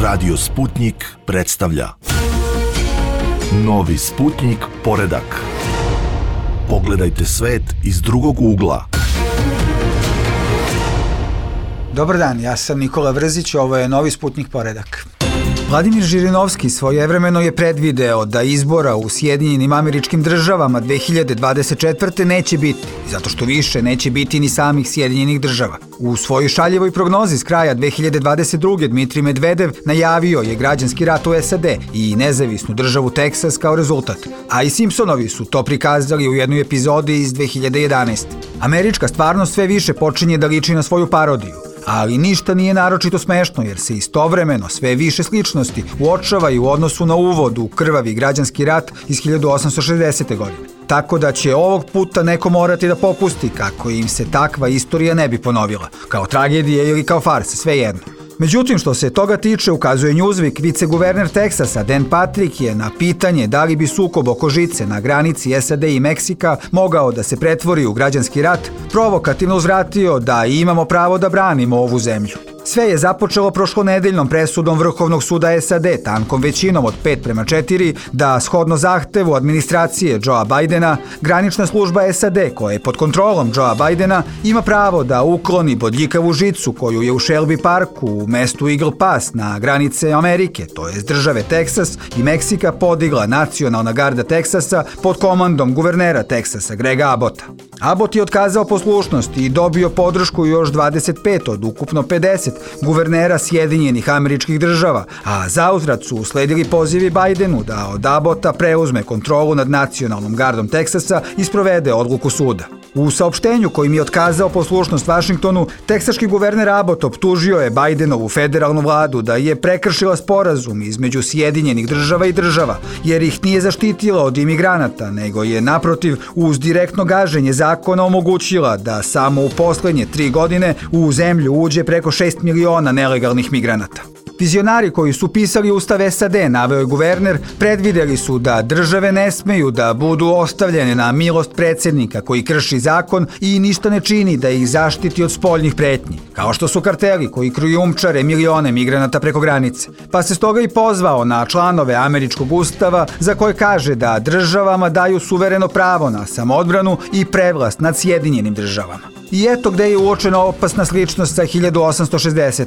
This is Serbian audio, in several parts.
Radio Sputnik predstavlja Novi Sputnik poredak. Pogledajte svet iz drugog ugla. Dobar dan, ja sam Nikola Vrzić, ovo je Novi Sputnik poredak. Vladimir Žirinovski svojevremeno je predvideo da izbora u Sjedinjenim Američkim Državama 2024. neće biti, zato što više neće biti ni samih Sjedinjenih Država. U svojoj šaljivoj prognozi s kraja 2022. Dmitrij Medvedev najavio je građanski rat u SAD i nezavisnu državu Teksas kao rezultat, a i Simpsonovi su to prikazali u jednoj epizodi iz 2011. Američka stvarnost sve više počinje da liči na svoju parodiju, ali ništa nije naročito smešno jer se istovremeno sve više sličnosti uočavaju u odnosu na uvod u krvavi građanski rat iz 1860. godine. Tako da će ovog puta neko morati da popusti kako im se takva istorija ne bi ponovila, kao tragedija ili kao farsa, svejedno. Međutim, što se toga tiče, ukazuje Newsweek, viceguverner Teksasa Dan Patrick je na pitanje da li bi sukob oko žice na granici SAD i Meksika mogao da se pretvori u građanski rat, provokativno uzvratio da imamo pravo da branimo ovu zemlju. Sve je započelo prošlonedeljnom presudom Vrhovnog suda SAD tankom većinom od 5:4 da, shodno zahtevu administracije Joea Bidena, granična služba SAD, koja je pod kontrolom Joea Bidena, ima pravo da ukloni bodljikavu žicu koju je u Shelby Parku u mestu Eagle Pass na granice Amerike, to jest države Teksas i Meksika, podigla Nacionalna garda Teksasa pod komandom guvernera Teksasa Grega Abbotta. Abbott je otkazao poslušnost i dobio podršku još 25 od ukupno 50 guvernera Sjedinjenih Američkih Država, a zauzvrat su usledili pozivi Bidenu da od Abbotta preuzme kontrolu nad Nacionalnom gardom Teksasa i sprovede odluku suda. U saopštenju kojim je otkazao poslušnost Vašingtonu, teksaški guverner Abbott optužio je Bidenovu federalnu vladu da je prekršila sporazum između Sjedinjenih Država i država, jer ih nije zaštitila od imigranata, nego je naprotiv uz direktno gaženje zakona omogućila da samo u poslednje 3 godine u zemlju uđe preko 6 miliona nelegalnih migranata. Vizionari koji su pisali Ustav SAD, naveo je guverner, predvideli su da države ne smeju da budu ostavljene na milost predsjednika koji krši zakon i ništa ne čini da ih zaštiti od spoljnih pretnji, kao što su karteli koji krijumčare milione migranata preko granice. Pa se stoga i pozvao na članove američkog ustava za koje kaže da državama daju suvereno pravo na samoodbranu i prevlast nad Sjedinjenim Državama. I eto gde je uočena opasna sličnost sa 1860.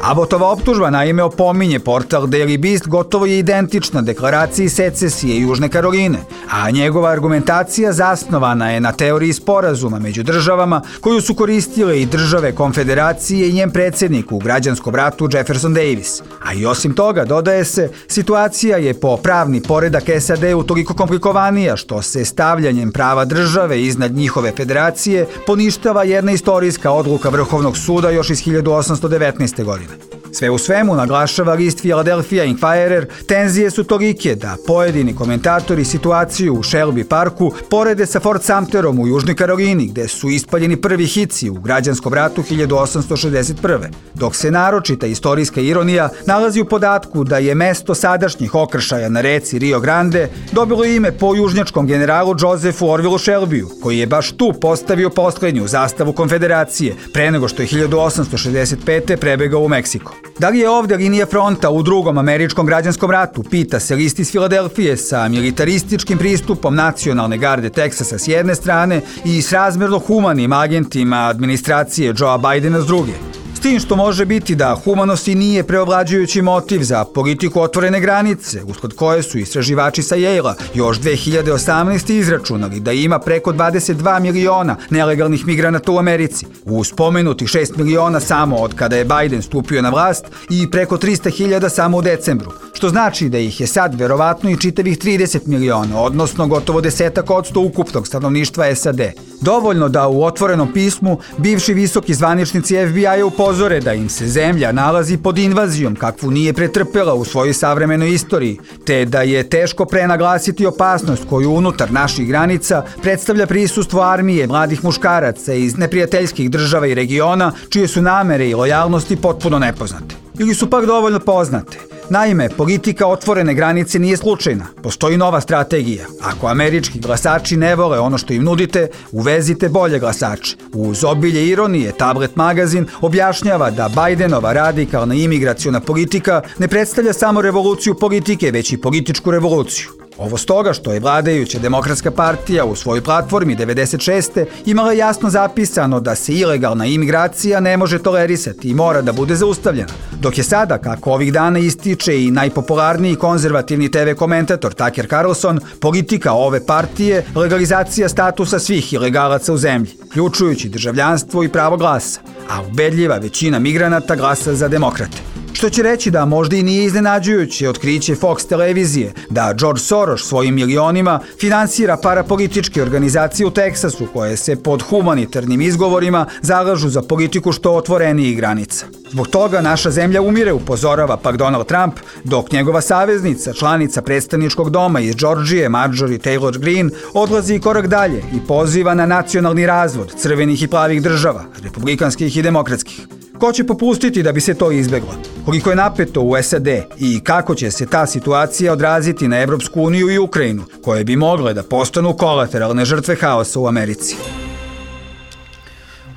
Abbottova optužba naime opominje portal Daily Beast gotovo je identična deklaraciji secesije Južne Karoline, a njegova argumentacija zasnovana je na teoriji sporazuma među državama koju su koristile i države Konfederacije i njen predsjednik u građanskom ratu Jefferson Davis. A i osim toga, dodaje se, situacija je po pravni poredak SAD toliko komplikovanija što se stavljanjem prava države iznad njihove federacije poništava jedna istorijska odluka Vrhovnog suda još iz 1819. godine. Sve u svemu, naglašava list Philadelphia Inquirer, tenzije su tolike da pojedini komentatori situaciju u Shelby Parku porede sa Fort Sumterom u Južnoj Karolini, gde su ispaljeni prvi hici u građanskom ratu 1861. Dok se naročita istorijska ironija nalazi u podatku da je mesto sadašnjih okršaja na reci Rio Grande dobilo ime po južnjačkom generalu Josephu Orvillu Shelbyu, koji je baš tu postavio poslednju zastavu Konfederacije, pre nego što je 1865. prebegao u Meksiko. Da li je ovdje linija fronta u drugom američkom građanskom ratu, pita se list iz Filadelfije, sa militarističkim pristupom Nacionalne garde Teksasa s jedne strane i s razmerno humanim agentima administracije Joea Bidena s druge. S tim što može biti da humanost i nije preovlađujući motiv za politiku otvorene granice, usled koje su istraživači sa Yale-a još 2018. izračunali da ima preko 22 miliona nelegalnih migranata u Americi, uz spomenutih 6 miliona samo od kada je Biden stupio na vlast i preko 300.000 samo u decembru, što znači da ih je sad verovatno i čitavih 30 miliona, odnosno gotovo 10% ukupnog stanovništva SAD. Dovoljno da u otvorenom pismu bivši visoki zvaničnici FBI-a upozore da im se zemlja nalazi pod invazijom kakvu nije pretrpela u svojoj savremenoj istoriji, te da je teško prenaglasiti opasnost koju unutar naših granica predstavlja prisustvo armije mladih muškaraca iz neprijateljskih država i regiona čije su namere i lojalnosti potpuno nepoznate. Ili su pak dovoljno poznate. Naime, politika otvorene granice nije slučajna. Postoji nova strategija. Ako američki glasači ne vole ono što im nudite, uvezite bolje glasače. Uz obilje ironije, Tablet magazin objašnjava da Bajdenova radikalna imigraciona politika ne predstavlja samo revoluciju politike, već i političku revoluciju. Ovo stoga što je vladajuća Demokratska partija u svojoj platformi 96. imala jasno zapisano da se ilegalna imigracija ne može tolerisati i mora da bude zaustavljena. Dok je sada, kako ovih dana ističe i najpopularniji konzervativni TV komentator Tucker Carlson, politika ove partije legalizacija statusa svih ilegalaca u zemlji, ključujući državljanstvo i pravo glasa, a ubedljiva većina migranata glasa za demokrate. Što će reći da možda i nije iznenađujuće otkriće Fox televizije da George Soros svojim milionima finansira parapolitičke organizacije u Teksasu koje se pod humanitarnim izgovorima zalažu za politiku što otvorenijih granica. Zbog toga naša zemlja umire, upozorava pak Donald Trump, dok njegova saveznica, članica predstavničkog doma iz Džordžije, Marjorie Taylor Greene, odlazi korak dalje i poziva na nacionalni razvod crvenih i plavih država, republikanskih i demokratskih. Ko će popustiti da bi se to izbeglo? Koliko je napeto u SAD i kako će se ta situacija odraziti na Evropsku uniju i Ukrajinu, koje bi mogle da postanu kolateralne žrtve haosa u Americi?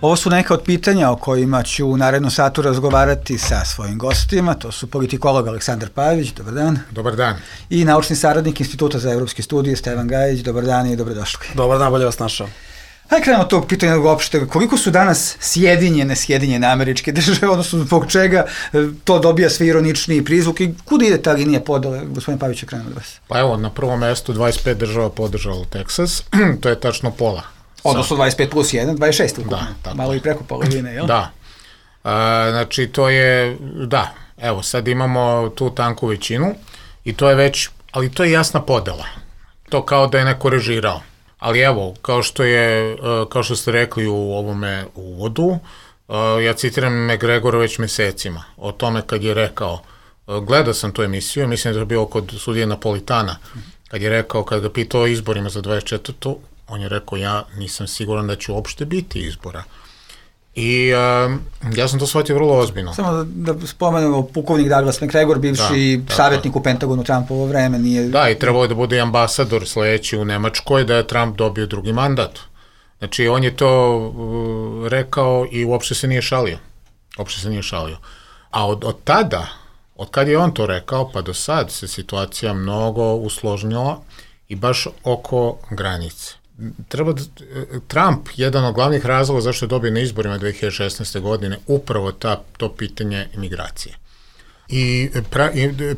Ovo su neka od pitanja o kojima ću u narednom satu razgovarati sa svojim gostima. To su politikolog Aleksandar Pavić, dobar dan. Dobar dan. I naučni saradnik Instituta za evropske studije Stevan Gajić, dobar dan i dobrodošli. Dobar dan, bolje vas našao. Hajde krenemo od tog pitanja uopšte, koliko su danas Sjedinjene Američke Države, odnosno zbog čega to dobija sve ironičniji prizvuk i kuda ide ta linija podele? Gospodin Pavić, krenemo od vas. Pa evo, na prvom mestu 25 država podržalo Teksas, to je tačno pola. Odnosno 25 plus 1, 26 ukupno. Da, tako. Malo i preko polovine, jel? Da. Znači, to je, da, evo, sad imamo tu tanku većinu i to je već, ali to je jasna podela. To kao da je neko režirao. Ali evo, kao što ste rekli u ovome uvodu, ja citiram McGregora već mesecima o tome kad je rekao, gledao sam tu emisiju, mislim da je to bio kod sudije Napolitana, kad je rekao, kad ga pitao o izborima za 24. on je rekao, ja nisam siguran da će uopšte biti izbora. I ja sam to shvatio vrlo ozbiljno. Samo da spomenemo, pukovnik Douglas McGregor, bivši savjetnik u Pentagonu Trumpovo vreme, nije... Da, i trebao je da bude ambasador sledeći u Nemačkoj, da je Trump dobio drugi mandat. Znači, on je to rekao i uopšte se nije šalio. A od tada, od kad je on to rekao, pa do sad se situacija mnogo usložnila i baš oko granice. Trump, jedan od glavnih razloga zašto je dobio na izborima 2016. godine, upravo to pitanje imigracije. I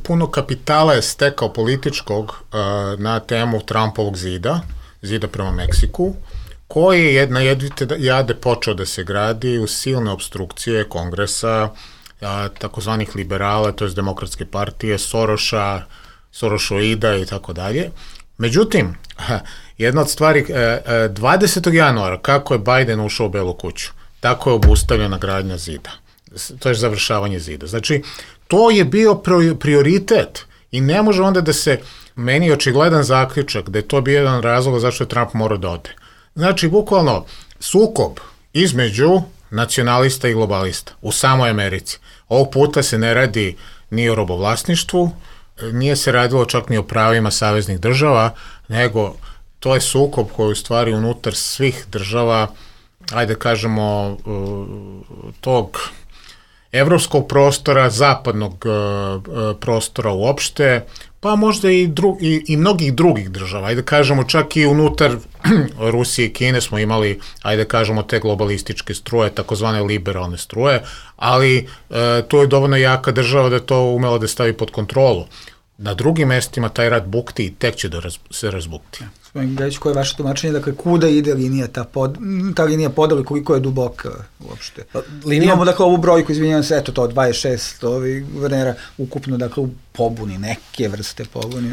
puno kapitala je stekao političkog na temu Trumpovog zida prema Meksiku, koji je na jedvite jade počeo da se gradi u silne obstrukcije Kongresa, takozvanih liberala, to je Demokratske partije, Sorošoida i tako dalje. Međutim, jedna od stvari, 20. januara, kako je Biden ušao u Belu kuću, tako je obustavljena gradnja zida. To je završavanje zida. Znači, to je bio prioritet i ne može onda da se, meni je očigledan zaključak da je to bio jedan razlog zašto je Trump morao da ode. Znači, bukvalno, sukob između nacionalista i globalista u samoj Americi. Ovog puta se ne radi ni o robovlasništvu, nije se radilo čak ni o pravima saveznih država, nego to je sukob koji u stvari unutar svih država, ajde kažemo, tog evropskog prostora, zapadnog prostora uopšte, pa možda i mnogih drugih država. Ajde kažemo, čak i unutar Rusije i Kine smo imali, ajde kažemo, te globalističke struje, takozvane liberalne struje, ali to je dovoljno jaka država da to umela da stavi pod kontrolu. Na drugim mestima taj rat bukti i tek će da se razbukti. Gospodin Gajić, koje je vaše tumačenje? Dakle, kuda ide linija, ta linija podela, koliko je duboka uopšte? Imamo, dakle, ovu brojku, izvinjavam se, eto to, 26 guvernera, ukupno, dakle, u pobuni, neke vrste pobuni.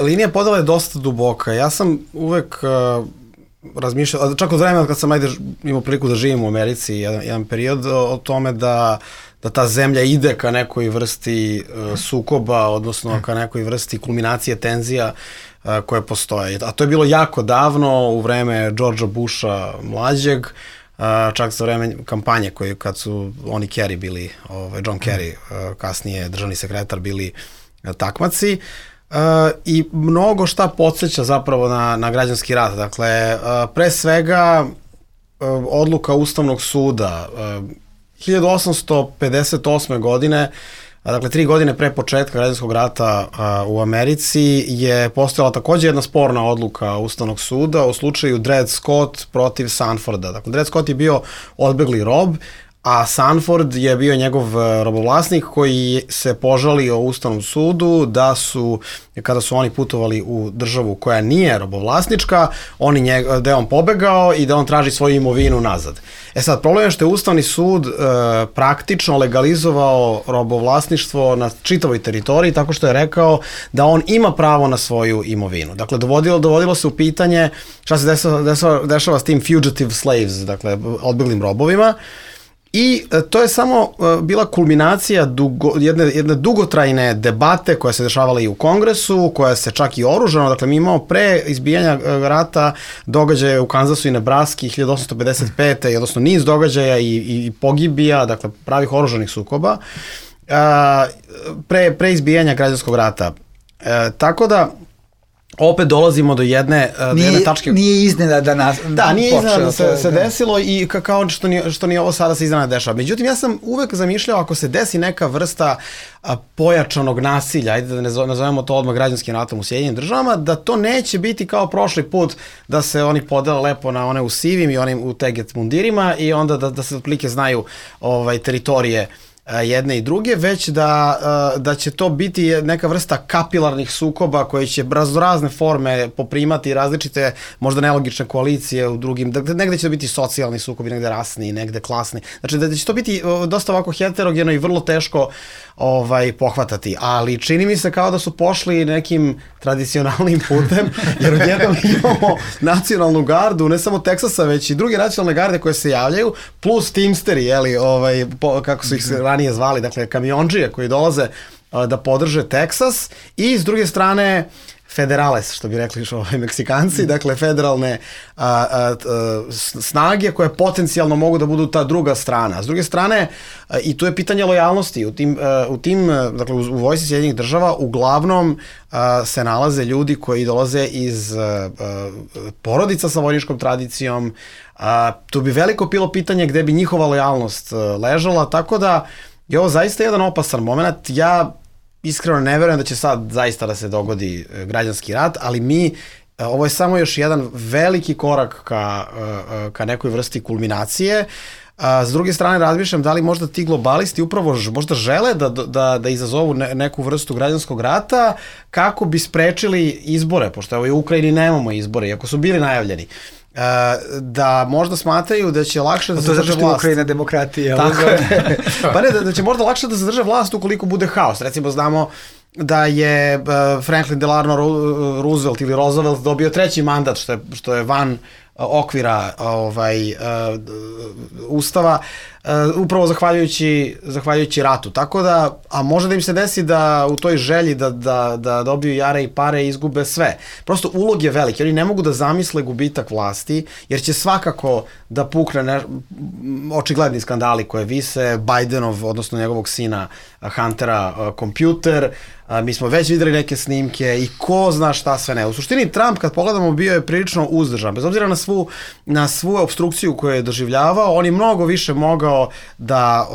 Linija podela je dosta duboka. Ja sam uvek razmišljao, čak od vremena kad sam imao priliku da živim u Americi, jedan period o tome da ta zemlja ide ka nekoj vrsti sukoba, odnosno ka nekoj vrsti kulminacije tenzija koje postoje. A to je bilo jako davno, u vreme Georgea Busha mlađeg, čak za vreme kampanje koji kad su oni Kerry bili, John Kerry, kasnije državni sekretar, bili takmaci. I mnogo šta podsjeća zapravo na građanski rat. Dakle, pre svega odluka Ustavnog suda 1858. godine, dakle 3 godine pre početka građanskog rata u Americi, je postojala takođe jedna sporna odluka Ustavnog suda u slučaju Dred Scott protiv Sanforda. Dakle, Dred Scott je bio odbegli rob, a Sanford je bio njegov robovlasnik koji se požalio Ustavnom sudu da su, kada su oni putovali u državu koja nije robovlasnička, da je on pobegao i da on traži svoju imovinu nazad. Sad, problem je što je Ustavni sud praktično legalizovao robovlasništvo na čitavoj teritoriji tako što je rekao da on ima pravo na svoju imovinu. Dakle, dovodilo se u pitanje šta se dešava s tim fugitive slaves, dakle, odbeglim robovima. I to je samo bila kulminacija jedne dugotrajne debate koja se dešavala i u Kongresu, koja se čak i oružano, dakle mi imamo pre izbijanja rata događaje u Kansasu i Nebraski 1855. odnosno niz događaja i pogibija, dakle pravih oružanih sukoba, pre izbijanja građanskog rata. Tako da opet dolazimo do jedne tačke. Nije iznenada da nas nije iznenada da se desilo i kao što ni ovo sada se iznenada dešava. Međutim, ja sam uvek zamišljao ako se desi neka vrsta pojačanog nasilja, ajde da nazovemo to odmah građanskim ratom u Sjedinjenim Državama, da to neće biti kao prošli put da se oni podele lepo na one u sivim i onim u teget mundirima i onda da se otprilike znaju teritorije jedne i druge, već da će to biti neka vrsta kapilarnih sukoba koje će razne forme poprimati različite, možda nelogične koalicije u drugim, negde će biti socijalni sukobi, negde rasni, negde klasni. Znači da će to biti dosta ovako heterogeno i vrlo teško pohvatati, ali čini mi se kao da su pošli nekim tradicionalnim putem, jer odjednom imamo nacionalnu gardu, ne samo Teksasa, već i druge nacionalne garde koje se javljaju, plus Teamsteri, kako su ih se ranije zvali, dakle kamionđije koji dolaze da podrže Teksas i s druge strane federales, što bi rekli Meksikanci, dakle federalne snage koje potencijalno mogu da budu ta druga strana. S druge strane, i tu je pitanje lojalnosti. Dakle, u vojsci Sjedinjenih Država uglavnom se nalaze ljudi koji dolaze iz porodica sa vojničkom tradicijom. Tu bi veliko bilo pitanje gde bi njihova lojalnost ležala, tako da je ovo zaista jedan opasan moment. Ja iskreno ne verujem da će sad zaista da se dogodi građanski rat, ali ovo je samo još jedan veliki korak ka nekoj vrsti kulminacije. S druge strane, razmišljam da li možda ti globalisti upravo možda žele da izazovu neku vrstu građanskog rata kako bi sprečili izbore, pošto u Ukrajini nemamo izbore, iako su bili najavljeni. Da možda smatraju da će lakše da se zadrže vlast. To je Ukrajina demokratija. Tako je. Pa ne, da će možda lakše da se zadrže vlast ukoliko bude haos. Recimo, znamo da je Franklin Delano Roosevelt ili Roosevelt dobio 3. mandat, što je van okvira Ustava, upravo zahvaljujući ratu. Tako da, a može da im se desi da u toj želji da dobiju jare i pare izgube sve. Prosto ulog je veliki. Oni ne mogu da zamisle gubitak vlasti, jer će svakako da pukne očigledni skandali koje vise, Bidenov, odnosno njegovog sina Huntera, kompjuter, mi smo već videli neke snimke i ko zna šta sve ne. U suštini Trump, kad pogledamo, bio je prilično uzdržan. Bez obzira na svu obstrukciju koju je doživljavao, on je mnogo više mogao da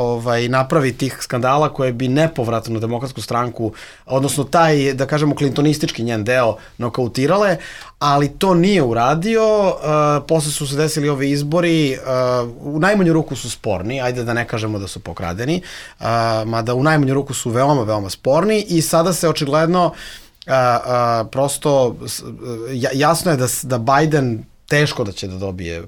napravi tih skandala koje bi nepovratno Demokratsku stranku, odnosno taj, da kažemo, klintonistički njen deo nokautirale, ali to nije uradio. Posle su se desili ovi izbori, u najmanju ruku su sporni, ajde da ne kažemo da su pokradeni, mada u najmanju ruku su veoma, veoma sporni i sada se očigledno prosto jasno je da Biden teško da će da dobije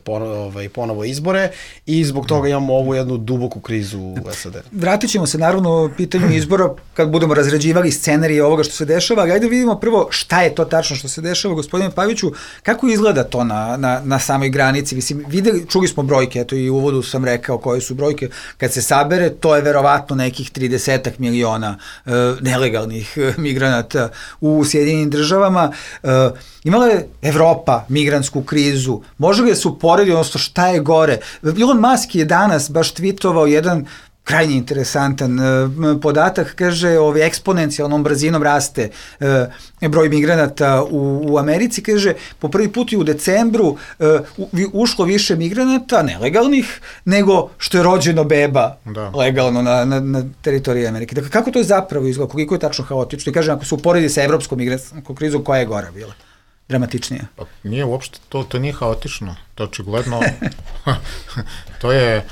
ponovo izbore i zbog toga imamo ovu jednu duboku krizu u SAD. Vratit ćemo se naravno u pitanju izbora kad budemo razređivali scenarije ovoga što se dešava, ali ajde vidimo prvo šta je to tačno što se dešava. Gospodine Paviću, kako izgleda to na samoj granici? Mislim, čuli smo brojke, eto i u uvodu sam rekao koje su brojke. Kad se sabere, to je verovatno nekih 30 miliona nelegalnih migranata u Sjedinjenim Državama. Imala je Evropa migrantsku krizu krizu, može li da se uporedi, odnosno šta je gore? Elon Musk je danas baš tweetovao jedan krajnje interesantan podatak, kaže, eksponencijalnom brzinom raste broj migranata u Americi, kaže, po prvi put i u decembru ušlo više migranata, nelegalnih, nego što je rođeno beba legalno na teritoriji Amerike. Dakle, kako to je zapravo izgleda, koliko je tačno haotično? I kažem, ako se uporedi sa evropskom migrantskom krizom, koja je gora bila? Dramatičnija? Pa nije uopšte, to nije haotično. To očigledno, to je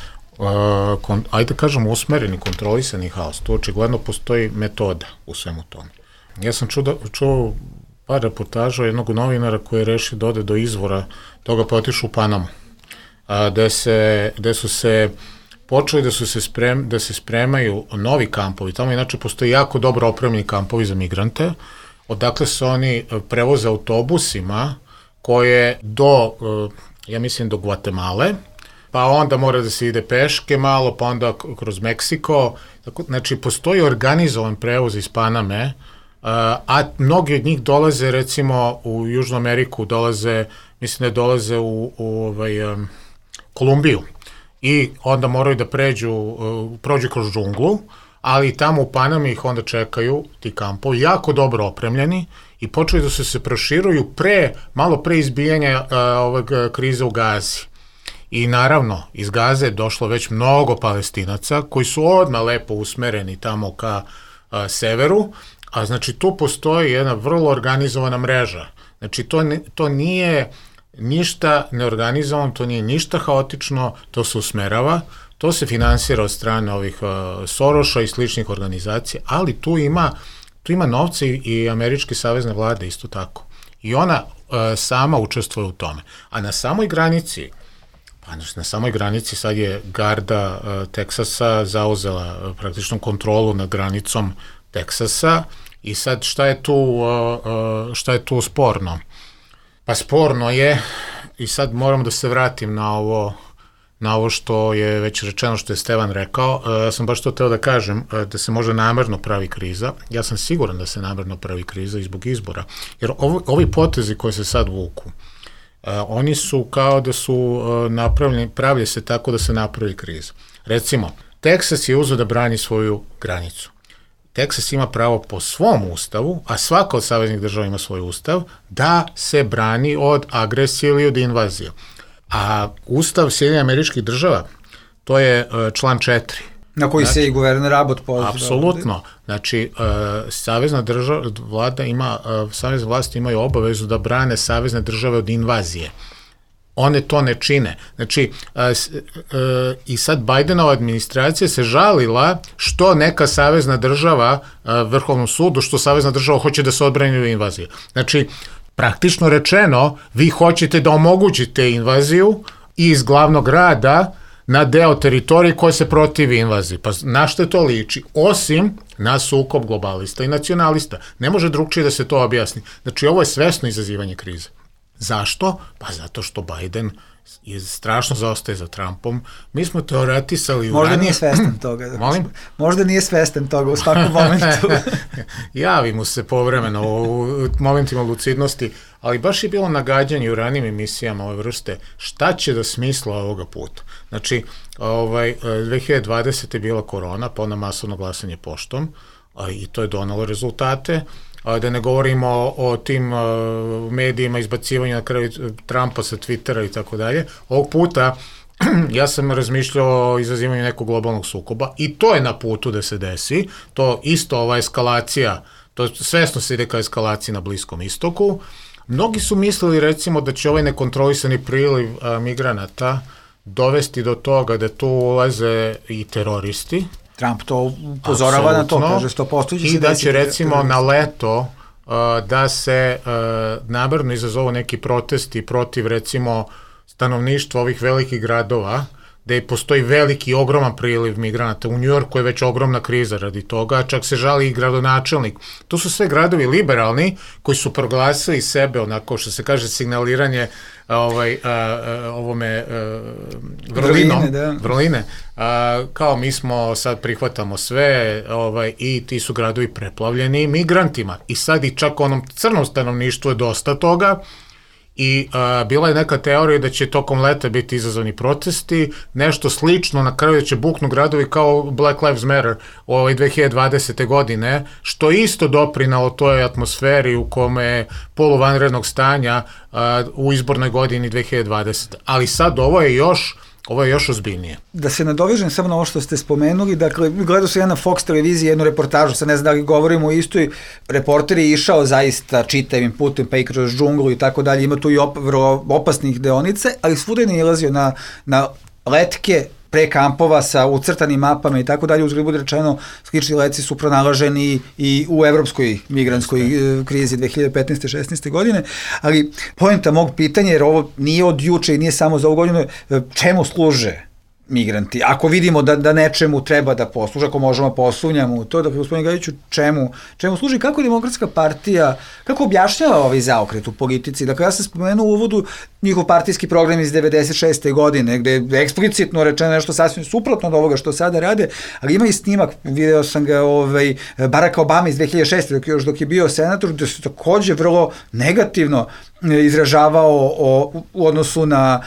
ajde kažem usmereni, kontrolisani haos. Tu očigledno postoji metoda u svemu tome. Ja sam čuo par reportaža jednog novinara koji je rešio da ode do izvora toga, pa otišao u Panamu, gde su se počeli da se spremaju novi kampovi. Tamo inače postoji jako dobro opremljeni kampovi za migrante, odakle se oni prevoze autobusima koje ja mislim do Gvatemale, pa onda mora da se ide peške malo, pa onda kroz Meksiko. Znači, postoji organizovan prevoz iz Paname, a mnogi od njih dolaze, recimo, u Južnu Ameriku, mislim da dolaze u Kolumbiju. I onda moraju da prođu kroz džunglu, ali tamo u Panami ih onda čekaju ti kampovi, jako dobro opremljeni, i počeli da se proširuju malo pre izbijanja krize u Gazi. I naravno, iz Gaze je došlo već mnogo Palestinaca koji su odmah lepo usmereni tamo ka severu, a znači tu postoji jedna vrlo organizovana mreža. Znači to nije ništa neorganizovano, to nije ništa haotično, to se usmerava, to se finansira od strane ovih Soroša i sličnih organizacija, ali tu ima novce i američke savezne vlade isto tako. I ona sama učestvuje u tome. A na samoj granici sad je garda Teksasa zauzela praktično kontrolu nad granicom Teksasa i sad šta je tu sporno? Pa sporno je, i sad moramo da se vratim na ovo što je već rečeno, što je Stevan rekao. Ja sam baš to teo da kažem, da se možda namerno pravi kriza. Ja sam siguran da se namerno pravi kriza i zbog izbora. Jer ovi potezi koji se sad vuku, oni su kao da su pravlje se tako da se napravi kriza. Recimo, Teksas je uzeo da brani svoju granicu. Teksas ima pravo po svom ustavu, a svaka od saveznih država ima svoj ustav, da se brani od agresije ili od invazije. A ustav Sjedinjenih Američkih Država, to je član 4. Na koji se i guverner Abbott poziva. Apsolutno. Znači, savezna vlada savezne vlasti imaju obavezu da brane savezne države od invazije. One to ne čine. Znači, i sad Bidenova administracija se žalila što neka savezna država Vrhovnom sudu, što savezna država hoće da se odbrani od invazije. Znači, praktično rečeno, vi hoćete da omogućite invaziju iz glavnog grada na deo teritorije koje se protivi invaziji. Pa na što to liči? Osim na sukob globalista i nacionalista. Ne može drugčije da se to objasni. Znači, ovo je svesno izazivanje krize. Zašto? Pa zato što Biden strašno zaostaje za Trumpom. Mi smo teoretisali... Možda nije svestan toga. Molim? Možda nije svestan toga u svakom momentu. Javi mu se povremeno u momentima lucidnosti, ali baš je bilo nagađanje u ranijim emisijama ove vrste šta će da smisla ovoga puta. Znači, 2020. je bila korona, pa onda masovno glasanje poštom, i to je donalo rezultate. Da ne govorimo o tim medijima, izbacivanju na kraju Trumpa sa Twittera i tako dalje. Ovog puta ja sam razmišljao o izazivanju nekog globalnog sukoba i to je na putu da se desi. To isto, ova eskalacija, to svesno se ide ka eskalaciji na Bliskom istoku. Mnogi su mislili, recimo, da će ovaj nekontrolisani priliv migranata dovesti do toga da tu ulaze i teroristi. Trump to upozorava na to, kaže 100%. I da će recimo na leto da se namerno izazovu neki protesti protiv recimo stanovništva ovih velikih gradova, gde postoji veliki, ogroman priliv migranata. U Njujorku je već ogromna kriza radi toga, čak se žali i gradonačelnik. To su sve gradovi liberalni koji su proglasili sebe, onako što se kaže signaliranje vrline, kao mi smo sad prihvatamo sve i ti su gradovi preplavljeni migrantima. I sad i čak onom crnom stanovništvu je dosta toga i bila je neka teorija da će tokom leta biti izazvani protesti, nešto slično, na kraju će buknu gradovi kao Black Lives Matter 2020. godine, što isto doprinalo toj atmosferi u kome poluvanrednog stanja u izbornoj godini 2020. Ali sad ovo je još ozbiljnije. Da se nadovežem samo na ovo što ste spomenuli, dakle, gledao sam ja na Fox televiziji jednu reportažu, sad ne znam da li govorimo o istoj, reporter je išao zaista čitavim putem, pa i kroz džunglu i tako dalje, ima tu i vrlo opasnih deonice, ali svuda je nalazio na letke pre kampova sa ucrtanim mapama i tako dalje, uzgled bude rečeno, slični letci su pronalaženi i u evropskoj migrantskoj krizi 2015-16. godine, ali poenta mog pitanja, jer ovo nije od juče i nije samo za ovu godinu, čemu služe migranti? Ako vidimo da nečemu treba da posluže, ako možemo posumnjamo u to, dakle, gospodine Gajiću, čemu služi, kako Demokratska partija, kako objašnjava ovaj zaokret u politici? Dakle, ja sam spomenuo u uvodu njihov partijski program iz 96. godine, gde je eksplicitno rečeno nešto sasvim suprotno od ovoga što sada rade, ali ima i snimak, video sam ga Baracka Obama iz 2006. dok je bio senator, gde se takođe vrlo negativno izražavao u odnosu na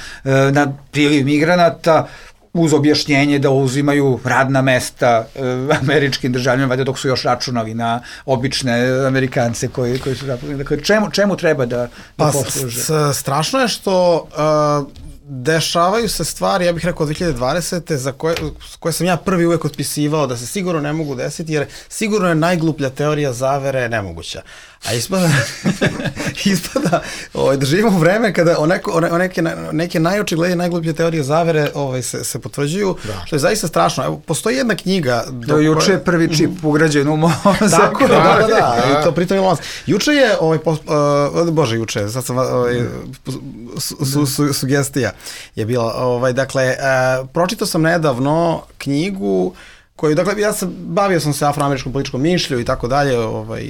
priliv migranata, uz objašnjenje da uzimaju radna mesta američkim državljanima, valjda dok su još računali na obične Amerikance koji su zaposleni. Dakle, čemu treba da posluže? Strašno je što dešavaju se stvari, ja bih rekao 2020. za koje sam ja prvi uvek otpisivao da se sigurno ne mogu desiti, jer sigurno je najgluplja teorija zavere nemoguća. A ispada da živimo u vreme kada neke najočiglednije najgluplje teorije zavere se potvrđuju, što je zaista strašno. Evo, postoji jedna knjiga... Juče je prvi čip ugrađen u mozak. Tako, da, to pritom je lans. Juče je, sad sam sugestija je bila, dakle, pročitao sam nedavno knjigu koju, dakle, bavio sam se afroameričkom političkom mišlju i tako dalje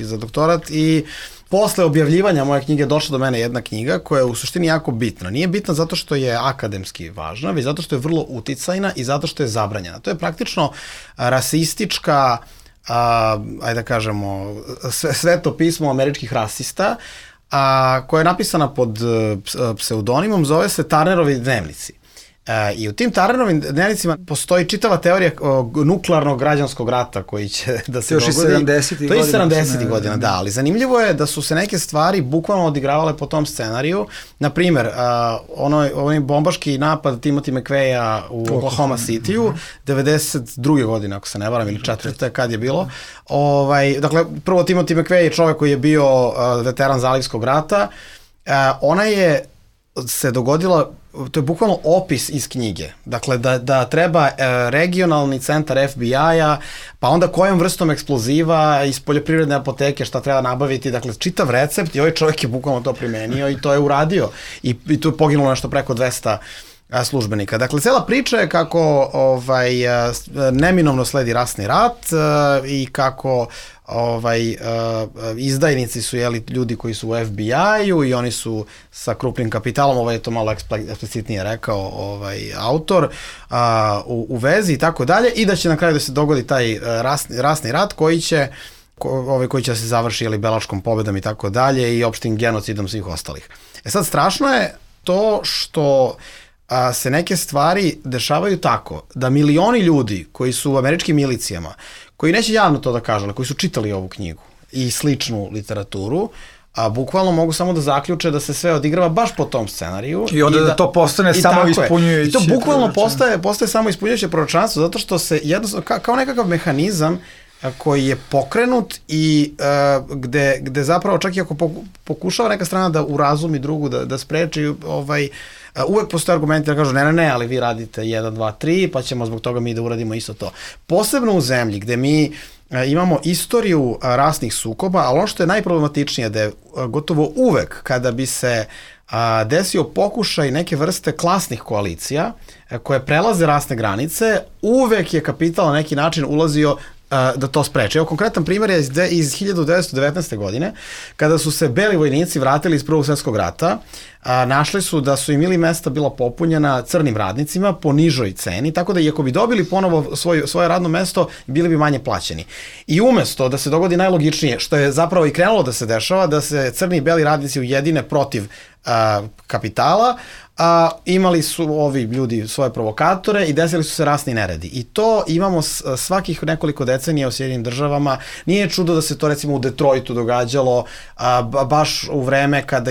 za doktorat i posle objavljivanja moje knjige došla do mene jedna knjiga koja je u suštini jako bitna. Nije bitna zato što je akademski važna, već zato što je vrlo uticajna i zato što je zabranjena. To je praktično rasistička, ajde da kažemo, sveto pismo američkih rasista, koja je napisana pod pseudonimom, zove se Turnerovi dnevnici. I u tim Turnerovim dnevnicima postoji čitava teorija nuklearnog građanskog rata koji će da se dogodi. To je 70. godina, da, ali zanimljivo je da su se neke stvari bukvalno odigravale po tom scenariju. Naprimer, onaj bombaški napad Timothy McVeigha u Oklahoma City-u, 92. godine, ako se ne varam, ili 4. kad je bilo. Dakle, prvo Timothy McVeigh je čovek koji je bio veteran Zalivskog rata. Ona je se dogodila, to je bukvalno opis iz knjige, dakle da treba regionalni centar FBI-a, pa onda kojom vrstom eksploziva iz poljoprivredne apoteke šta treba nabaviti, dakle čitav recept i ovaj čovjek je bukvalno to primenio i to je uradio i tu je poginulo nešto preko 200 službenika. Dakle, cela priča je kako neminovno sledi rasni rat i kako izdajnici su ljudi koji su u FBI-u i oni su sa krupnim kapitalom, ovo je to malo eksplicitnije rekao autor, u vezi i tako dalje, i da će na kraju da se dogodi taj rasni rat koji će se završi belačkom pobedom i tako dalje i opštim genocidom svih ostalih. Sad, strašno je to što se neke stvari dešavaju tako da milioni ljudi koji su u američkim milicijama, koji neće javno to da kažu, ali koji su čitali ovu knjigu i sličnu literaturu, bukvalno mogu samo da zaključe da se sve odigrava baš po tom scenariju. I onda da to postane samo ispunjujuće. I to bukvalno postaje samo ispunjujuće proročanstvo, zato što se jednostavno, kao nekakav mehanizam koji je pokrenut i gde zapravo čak i ako pokušava neka strana da urazumi drugu, da spreči, uvek postoje argumenti da kažu ne, ali vi radite 1, 2, 3, pa ćemo zbog toga mi da uradimo isto to. Posebno u zemlji gde mi imamo istoriju rasnih sukoba, ali ono što je najproblematičnije da je gotovo uvek kada bi se desio pokušaj neke vrste klasnih koalicija koje prelaze rasne granice, uvek je kapital na neki način ulazio da to spreče. Evo, konkretan primjer je iz 1919. godine, kada su se beli vojnici vratili iz Prvog svjetskog rata, našli su da su im ili mesta bila popunjena crnim radnicima po nižoj ceni, tako da i ako bi dobili ponovo svoje radno mesto, bili bi manje plaćeni. I umesto da se dogodi najlogičnije, što je zapravo i krenulo da se dešava, da se crni i beli radnici ujedine protiv kapitala, imali su ovi ljudi svoje provokatore i desili su se rasni neredi. I to imamo svakih nekoliko decenija u Sjedinim državama. Nije čudo da se to recimo u Detroitu događalo baš u vreme kada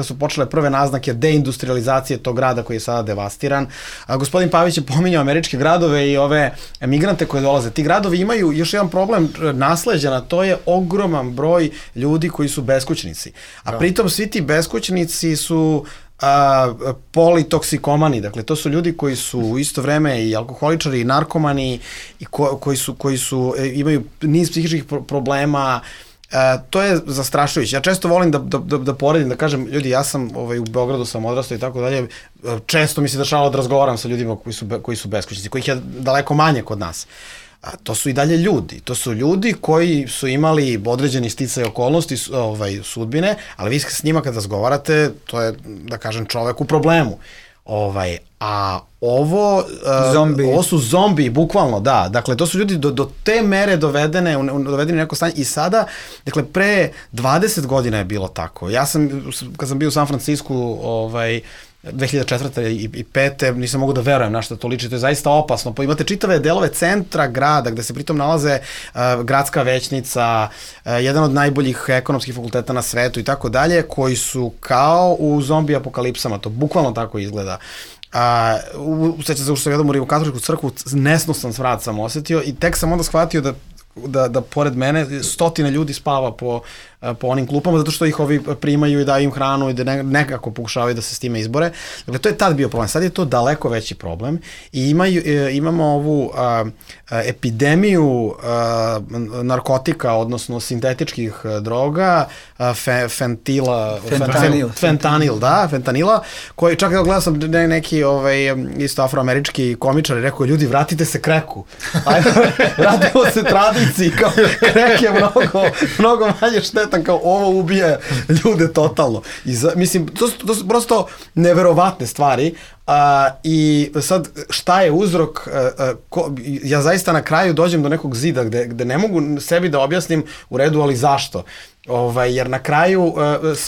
su počele prve naznake deindustrializacije tog grada koji je sada devastiran. Gospodin Pavić je pominjao američke gradove i ove migrante koje dolaze. Ti gradovi imaju još jedan problem nasleđena, to je ogroman broj ljudi koji su beskućnici. A pritom svi ti beskućnici su politoksikomani, dakle to su ljudi koji su u isto vreme i alkoholičari i narkomani i koji imaju niz psihičkih problema. To je zastrašujuće. Ja često volim da poredim, da kažem, ljudi, ja sam u Beogradu sam odrastao i tako dalje, često mi se dešavalo da razgovaram sa ljudima koji su beskućnici, kojih je daleko manje kod nas. To su i dalje ljudi. To su ljudi koji su imali određeni sticaj okolnosti sudbine, ali vi s njima kad razgovarate, to je, da kažem, čovek u problemu. A ovo su zombi, bukvalno, da. Dakle, to su ljudi do te mere dovedeni u neko stanje i sada, dakle, pre 20 godina je bilo tako. Ja sam, kad sam bio u San Francisku, 2004. i 2005. nisam mogu da verujem na što to liči, to je zaista opasno. Imate čitave delove centra grada gde se pritom nalaze gradska većnica, jedan od najboljih ekonomskih fakulteta na svetu i tako dalje, koji su kao u zombi apokalipsama, to bukvalno tako izgleda. Sećam se što sam gledam u Rimokatoličku crkvu, nesnosan svrat sam osetio i tek sam onda shvatio da pored mene stotine ljudi spava po onim klupama, zato što ih ovi primaju i daju im hranu i da nekako pokušavaju da se s time izbore. Dakle, to je tad bio problem. Sad je to daleko veći problem i imamo ovu epidemiju narkotika, odnosno sintetičkih droga, fentanila, koji čak evo gledao sam neki isto afroamerički komičar i rekao, ljudi, vratite se kreku. Vratimo se tradiciji, kao krek je mnogo manje štetan, kao ovo ubije ljude totalno. Mislim, to su prosto neverovatne stvari. I sad, šta je uzrok? Ja zaista na kraju dođem do nekog zida gde ne mogu sebi da objasnim u redu, ali zašto? Jer na kraju...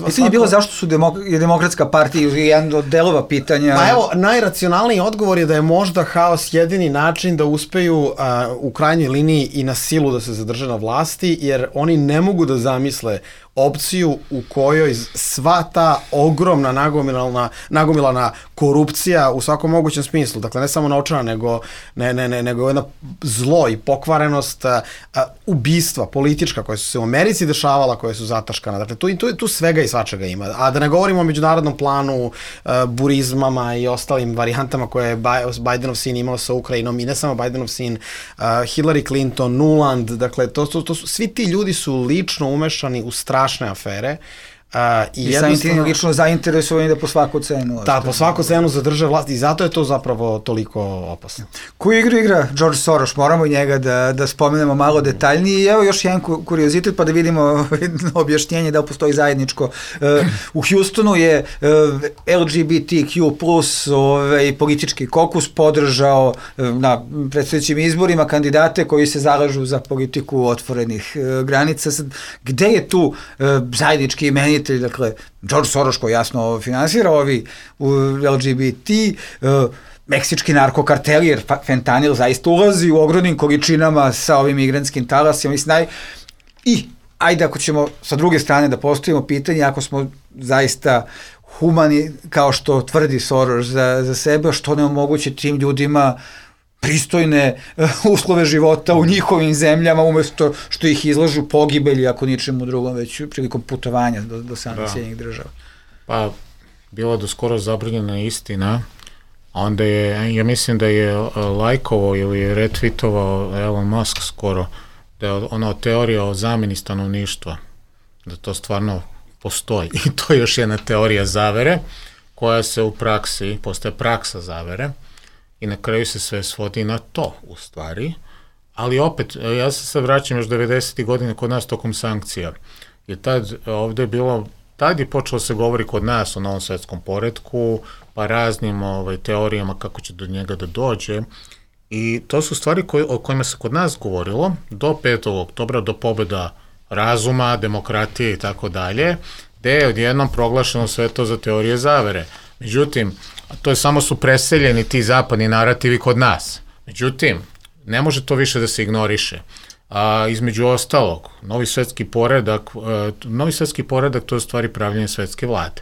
Pitanje je bilo zašto je Demokratska partija jedan od delova pitanja... Pa evo, najracionalniji odgovor je da je možda haos jedini način da uspeju u krajnjoj liniji i na silu da se zadrže na vlasti, jer oni ne mogu da zamisle opciju u kojoj sva ta ogromna nagomilana korupcija u svakom mogućem smislu, dakle ne samo novčana, nego jedna zlo i pokvarenost, ubistva politička koja su se u Americi dešavala, koja su zataškana, dakle tu svega i svačega ima, a da ne govorimo o međunarodnom planu, burizmama i ostalim varijantama koje je Bidenov sin imao sa Ukrajinom i ne samo Bidenov sin, Hillary Clinton, Nuland, dakle svi ti ljudi su lično umešani u strašne afere. I samim tim lično zainteresovani da po svaku cenu... Da, po svaku cenu zadrže vlast i zato je to zapravo toliko opasno. Koju igru igra George Soros? Moramo i njega da spomenemo malo detaljnije. I evo još jedan kuriozitet pa da vidimo objašnjenje da li postoji zajedničko. U Houstonu je LGBTQ plus politički kokus podržao na predstojećim izborima kandidate koji se zalažu za politiku otvorenih granica. Gde je tu zajednički imenitelj? Dakle, George Soros koji jasno finansira ovi LGBT, meksički narkokarteli, jer fentanil zaista ulazi u ogromnim količinama sa ovim migrantskim talasima. I ajde ako ćemo sa druge strane da postavimo pitanje, ako smo zaista humani, kao što tvrdi Soros za sebe, što ne omoguće tim ljudima pristojne uslove života u njihovim zemljama, umesto što ih izlažu pogibelji, ako ničemu drugom, već prilikom putovanja do samih Sjedinjenih država. Pa, bila do skoro zabranjena istina, a onda ja mislim da je lajkovao ili retweetovao Elon Musk skoro, da je ona teorija o zamjeni stanovništva, da to stvarno postoji. I to je još jedna teorija zavere, koja se u praksi, postaje praksa zavere, i na kraju se sve svodi na to, u stvari. Ali opet, ja se sad vraćam još 90. godine kod nas tokom sankcija. I tad ovde je bilo, tad je počelo se govori kod nas o novom svetskom poretku, pa raznim teorijama kako će do njega da dođe. I to su stvari o kojima se kod nas govorilo do 5. oktobra, do pobjeda razuma, demokratije i tako dalje, gde je odjednom proglašeno sve to za teorije zavere. Međutim, to je samo su preseljeni ti zapadni narativi kod nas. Međutim, ne može to više da se ignoriše. Između ostalog, novi svetski poredak to je u stvari pravljenje svetske vlade.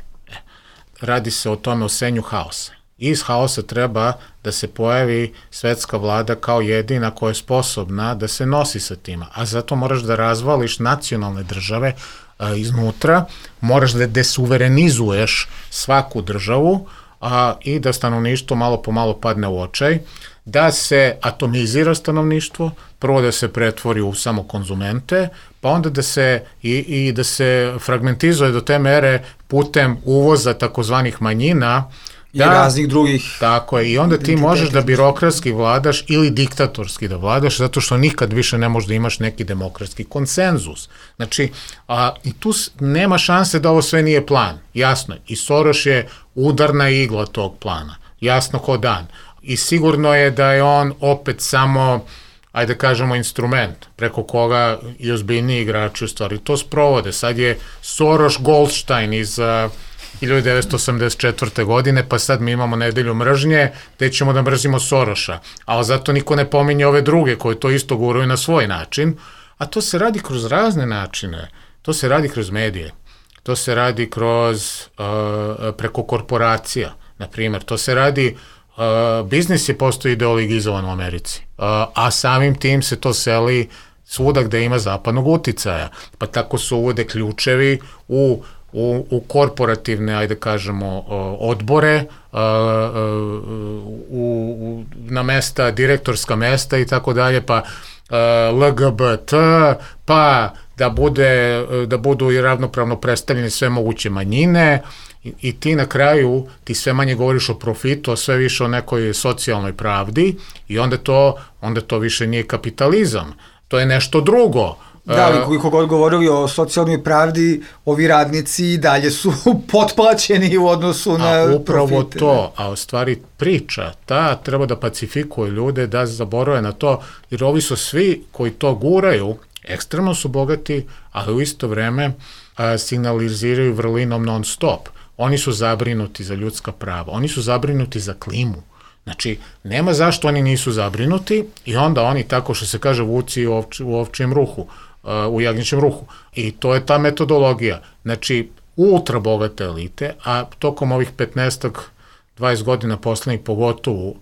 Radi se o tome o senju haosa. Iz haosa treba da se pojavi svetska vlada kao jedina koja je sposobna da se nosi sa tima. A zato moraš da razvališ nacionalne države iznutra, moraš da desuverenizuješ svaku državu i da stanovništvo malo po malo padne u očaj, da se atomizira stanovništvo, prvo da se pretvori u samo konzumente, pa onda da se da se fragmentizuje do te mere putem uvoza takozvanih manjina i raznih drugih. Tako je, i onda ti možeš da birokratski vladaš ili diktatorski da vladaš, zato što nikad više ne možeš da imaš neki demokratski konsenzus. Znači, i tu nema šanse da ovo sve nije plan, jasno je. I Soros je udarna igla tog plana, jasno ko dan. I sigurno je da je on opet samo, ajde kažemo, instrument preko koga i ozbiljniji igrači u stvari to sprovode. Sad je Soros Goldstein iz 1984. godine, pa sad mi imamo nedelju mržnje, gde ćemo da mrzimo Soroša. Ali zato niko ne pominje ove druge koji to isto guraju na svoj način. A to se radi kroz razne načine. To se radi kroz medije. To se radi preko korporacija, na primjer. To se radi, biznis je postao ideologizovan u Americi. A samim tim se to seli svuda gde ima zapadnog uticaja. Pa tako se uvode ključevi u korporativne, ajde kažemo, odbore, na mesta, direktorska mesta i tako dalje, pa LGBT, pa da budu i ravnopravno predstavljene sve moguće manjine i ti na kraju, ti sve manje govoriš o profitu, a sve više o nekoj socijalnoj pravdi i onda to više nije kapitalizam, to je nešto drugo. Da, ali koliko god govorili o socijalnoj pravdi, ovi radnici i dalje su potplaćeni u odnosu na profite. Upravo to, a u stvari priča, treba da pacifikuje ljude, da zaborave na to, jer ovi su svi koji to guraju, ekstremno su bogati, ali u isto vreme signaliziraju vrlinom non stop. Oni su zabrinuti za ljudska prava, oni su zabrinuti za klimu. Znači, nema zašto oni nisu zabrinuti i onda oni, tako što se kaže, vuci u ovčijem ruhu, u jagnjećem ruhu. I to je ta metodologija. Znači, ultra bogate elite, a tokom ovih 15-20 godina poslednjih,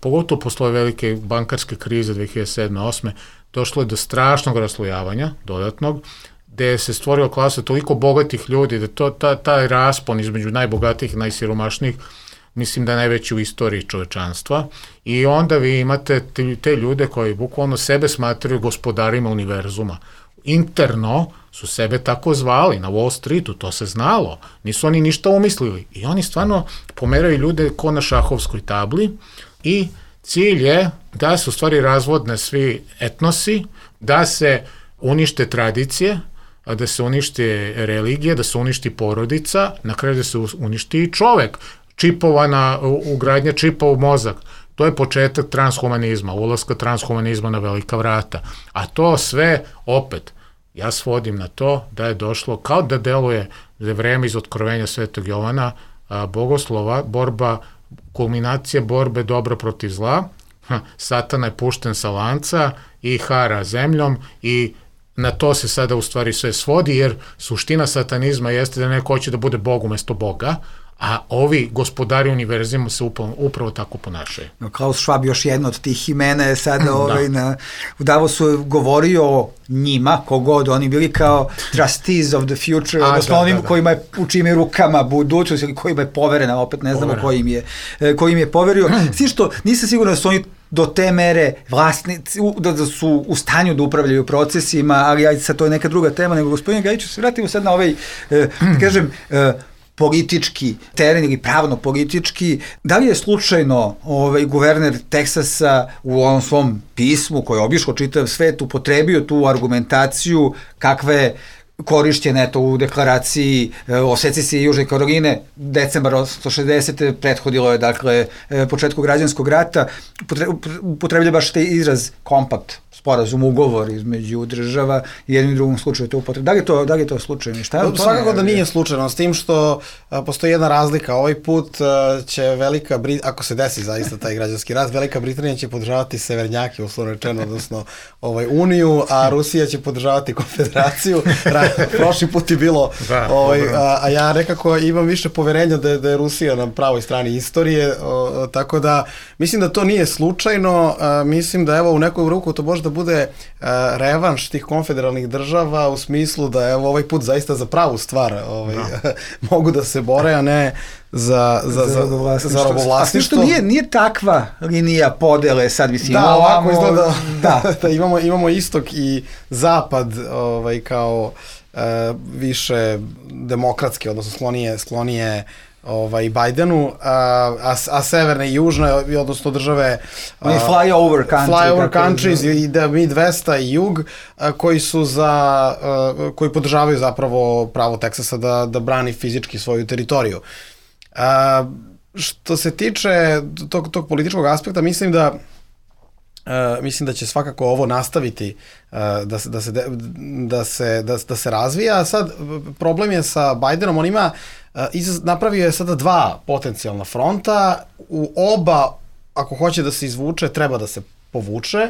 pogotovo posle velike bankarske krize 2007-2008, došlo je do strašnog raslojavanja, dodatnog, gde se stvorila klasa toliko bogatih ljudi, da taj raspon između najbogatijih i najsiromašnijih, mislim da je najveći u istoriji čovečanstva, i onda vi imate te ljude koji bukvalno sebe smatraju gospodarima univerzuma. Interno su sebe tako zvali, na Wall Streetu, to se znalo, nisu oni ništa umislili i oni stvarno pomeraju ljude ko na šahovskoj tabli i cilj je da se u stvari razvodne svi etnosi, da se unište tradicije, da se unište religija, da se uništi porodica, na kraju da se uništi i čovek, ugradnja čipa u mozak. To je početak transhumanizma, ulaska transhumanizma na velika vrata. A to sve, opet, ja svodim na to da je došlo, kao da deluje vreme iz Otkrovenja Svetog Jovana, bogoslova, kulminacija borbe dobra protiv zla, Satana je pušten sa lanca i hara zemljom i na to se sada u stvari sve svodi, jer suština satanizma jeste da neko hoće da bude Bog umesto Boga, a ovi gospodari univerzima se upravo tako ponašaju. Klaus Schwab, još jedno od tih imena, je sada u Davosu govorio njima, kogod oni bili, kao trustees of the future, odnosno onim kojima je u čim je rukama budućnost ili kojima je poverena, opet ne znamo kojim je poverio. Svi što nisam siguran da su oni do te mere vlasnici, da su u stanju da upravljaju procesima, ali ajde sad to je neka druga tema, nego gospodine Gajiću, se vratimo sad na ovaj, kažem, politički teren ili pravno-politički. Da li je slučajno guverner Teksasa u ovom svom pismu koji je obišao čitav svet upotrebio tu argumentaciju kakve korišćene u deklaraciji o secesiji Južne Karoline decembar 1860. prethodilo je, dakle, početku građanskog rata, upotrebljava baš taj izraz kompakt sporazum, ugovor između država i jednom i drugom slučaju to upotreba. Da li je to slučajno? Svakako da nije slučajno, s tim što postoji jedna razlika. Ovaj put će ako se desi zaista taj građanski rat, Velika Britanija će podržavati severnjake, uslovno rečeno, odnosno Uniju, a Rusija će podržavati Konfederaciju. Prošli put je bilo, a ja nekako imam više poverenja da je Rusija na pravoj strani istorije, tako da mislim da to nije slučajno, mislim da evo u nekoju ruku to može da bude revanš tih konfederalnih država u smislu da evo ovaj put zaista za pravu stvar mogu da se bore, a ne za robovlasništvo. A što nije takva linija podele sad mislim. Da, ovako izgleda da imamo istok i zapad kao više demokratske, odnosno sklonije Bajdenu, a severne i južne, odnosno države flyover countries i Midwesta i jug, koji podržavaju zapravo pravo Teksasa da brani fizički svoju teritoriju. Što se tiče tog političkog aspekta, mislim da će svakako ovo nastaviti da se razvija. Sad, problem je sa Bajdenom, on ima, napravio je sada 2 potencijalna fronta, u oba, ako hoće da se izvuče, treba da se povuče,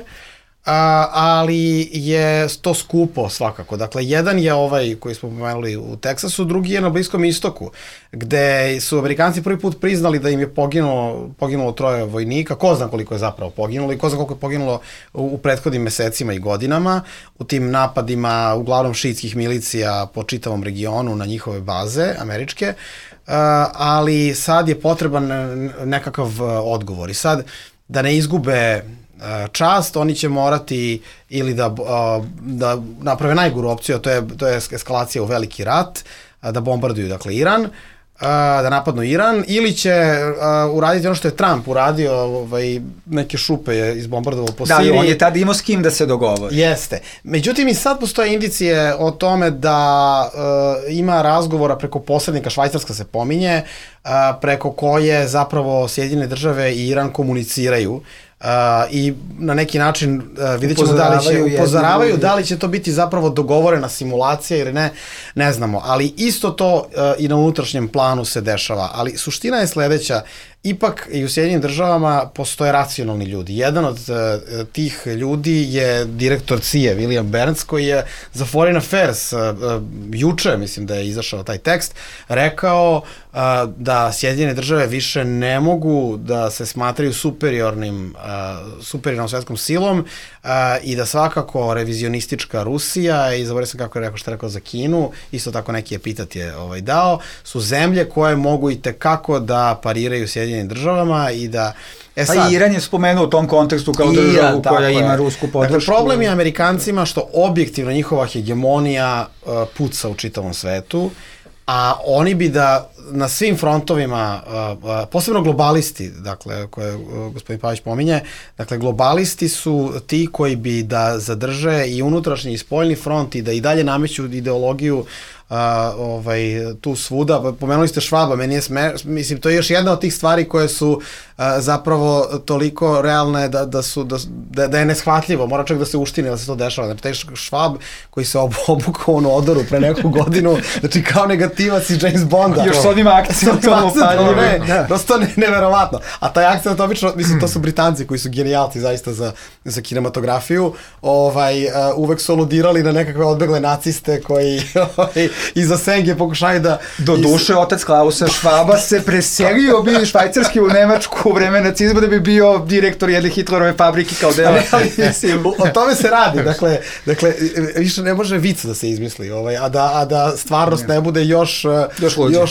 ali je to skupo svakako. Dakle, jedan je ovaj koji smo pomenuli u Teksasu, drugi je na Bliskom istoku, gde su Amerikanci prvi put priznali da im je poginulo 3 vojnika, ko zna koliko je zapravo poginulo i ko zna koliko je poginulo u prethodnim mesecima i godinama u tim napadima uglavnom šiitskih milicija po čitavom regionu na njihove baze američke, ali sad je potreban nekakav odgovor i sad da ne izgube čast, oni će morati ili da naprave najgoru opciju, a to je eskalacija u veliki rat, da bombarduju, dakle, Iran, da napadnu Iran, ili će uraditi ono što je Trump uradio, neke šupe je izbombardovao po Siriji. Da, on je tada imao s kim da se dogovori. Jeste. Međutim, i sad postoje indicije o tome da ima razgovora preko posrednika, Švajcarska se pominje, preko koje zapravo Sjedinjene države i Iran komuniciraju, i na neki način vidjet ćemo upozoravaju da li će to biti zapravo dogovorena simulacija ili ne znamo, ali isto to i na unutrašnjem planu se dešava, ali suština je sledeća, ipak i u Sjedinjenim državama postoje racionalni ljudi. Jedan od tih ljudi je direktor CIA, William Burns, koji je za Foreign Affairs juče, mislim da je izašao taj tekst, rekao da Sjedinjene države više ne mogu da se smatraju superiornom svetskom silom i da svakako revizionistička Rusija, i zaboravio sam kako je rekao, što je rekao za Kinu, isto tako neki epitet je dao, su zemlje koje mogu i tekako da pariraju Sjedinjenim državama i da... Pa Iran je spomenuo u tom kontekstu kao državu koja ima rusku podršku. Dakle, problem je Amerikancima što objektivno njihova hegemonija puca u čitavom svetu, a oni bi da na svim frontovima, posebno globalisti, dakle, koje gospodin Pavić pominje, dakle, globalisti su ti koji bi da zadrže i unutrašnji i spoljni front i da i dalje nameću ideologiju tu svuda. Pomenuli ste Švaba, meni je mislim, to je još jedna od tih stvari koje su zapravo toliko realne da je neshvatljivo, mora čak da se uštine da se to dešava. Znači, taj Švab koji se obukao u odoru pre neku godinu, znači kao negativac iz James Bonda. Još s onim akcijom. Prosto neverovatno. A taj akcijom, obično, mislim, to su Britanci koji su genijalci zaista za kinematografiju, uvek su aludirali na nekakve odbegle naciste koji iza senge pokušaju da... Do duše, otac Klausa Švaba se preselio bi švajcarski u Nemačku u vreme nacizma da bi bio direktor jedne Hitlerove fabrike kao deo. O tome se radi. Dakle, više ne može vic da se izmisli, a da stvarnost ne bude još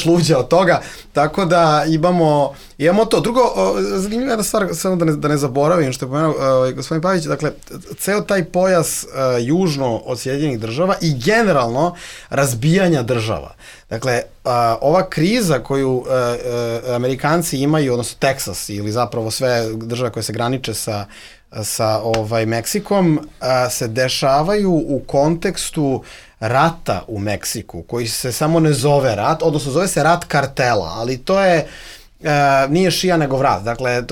luđa od toga. Tako da imamo to. Drugo, zanimljiva jedna stvar, samo da ne zaboravim što je pomenuo gospodin Pavić, dakle, ceo taj pojas južno od Sjedinjenih država i generalno razbijanja država. Dakle, ova kriza koju Amerikanci imaju, odnosno Teksas ili zapravo sve države koje se graniče sa Meksikom, se dešavaju u kontekstu rata u Meksiku, koji se samo ne zove rat, odnosno zove se rat kartela, ali to je nije šija nego vrat. Dakle,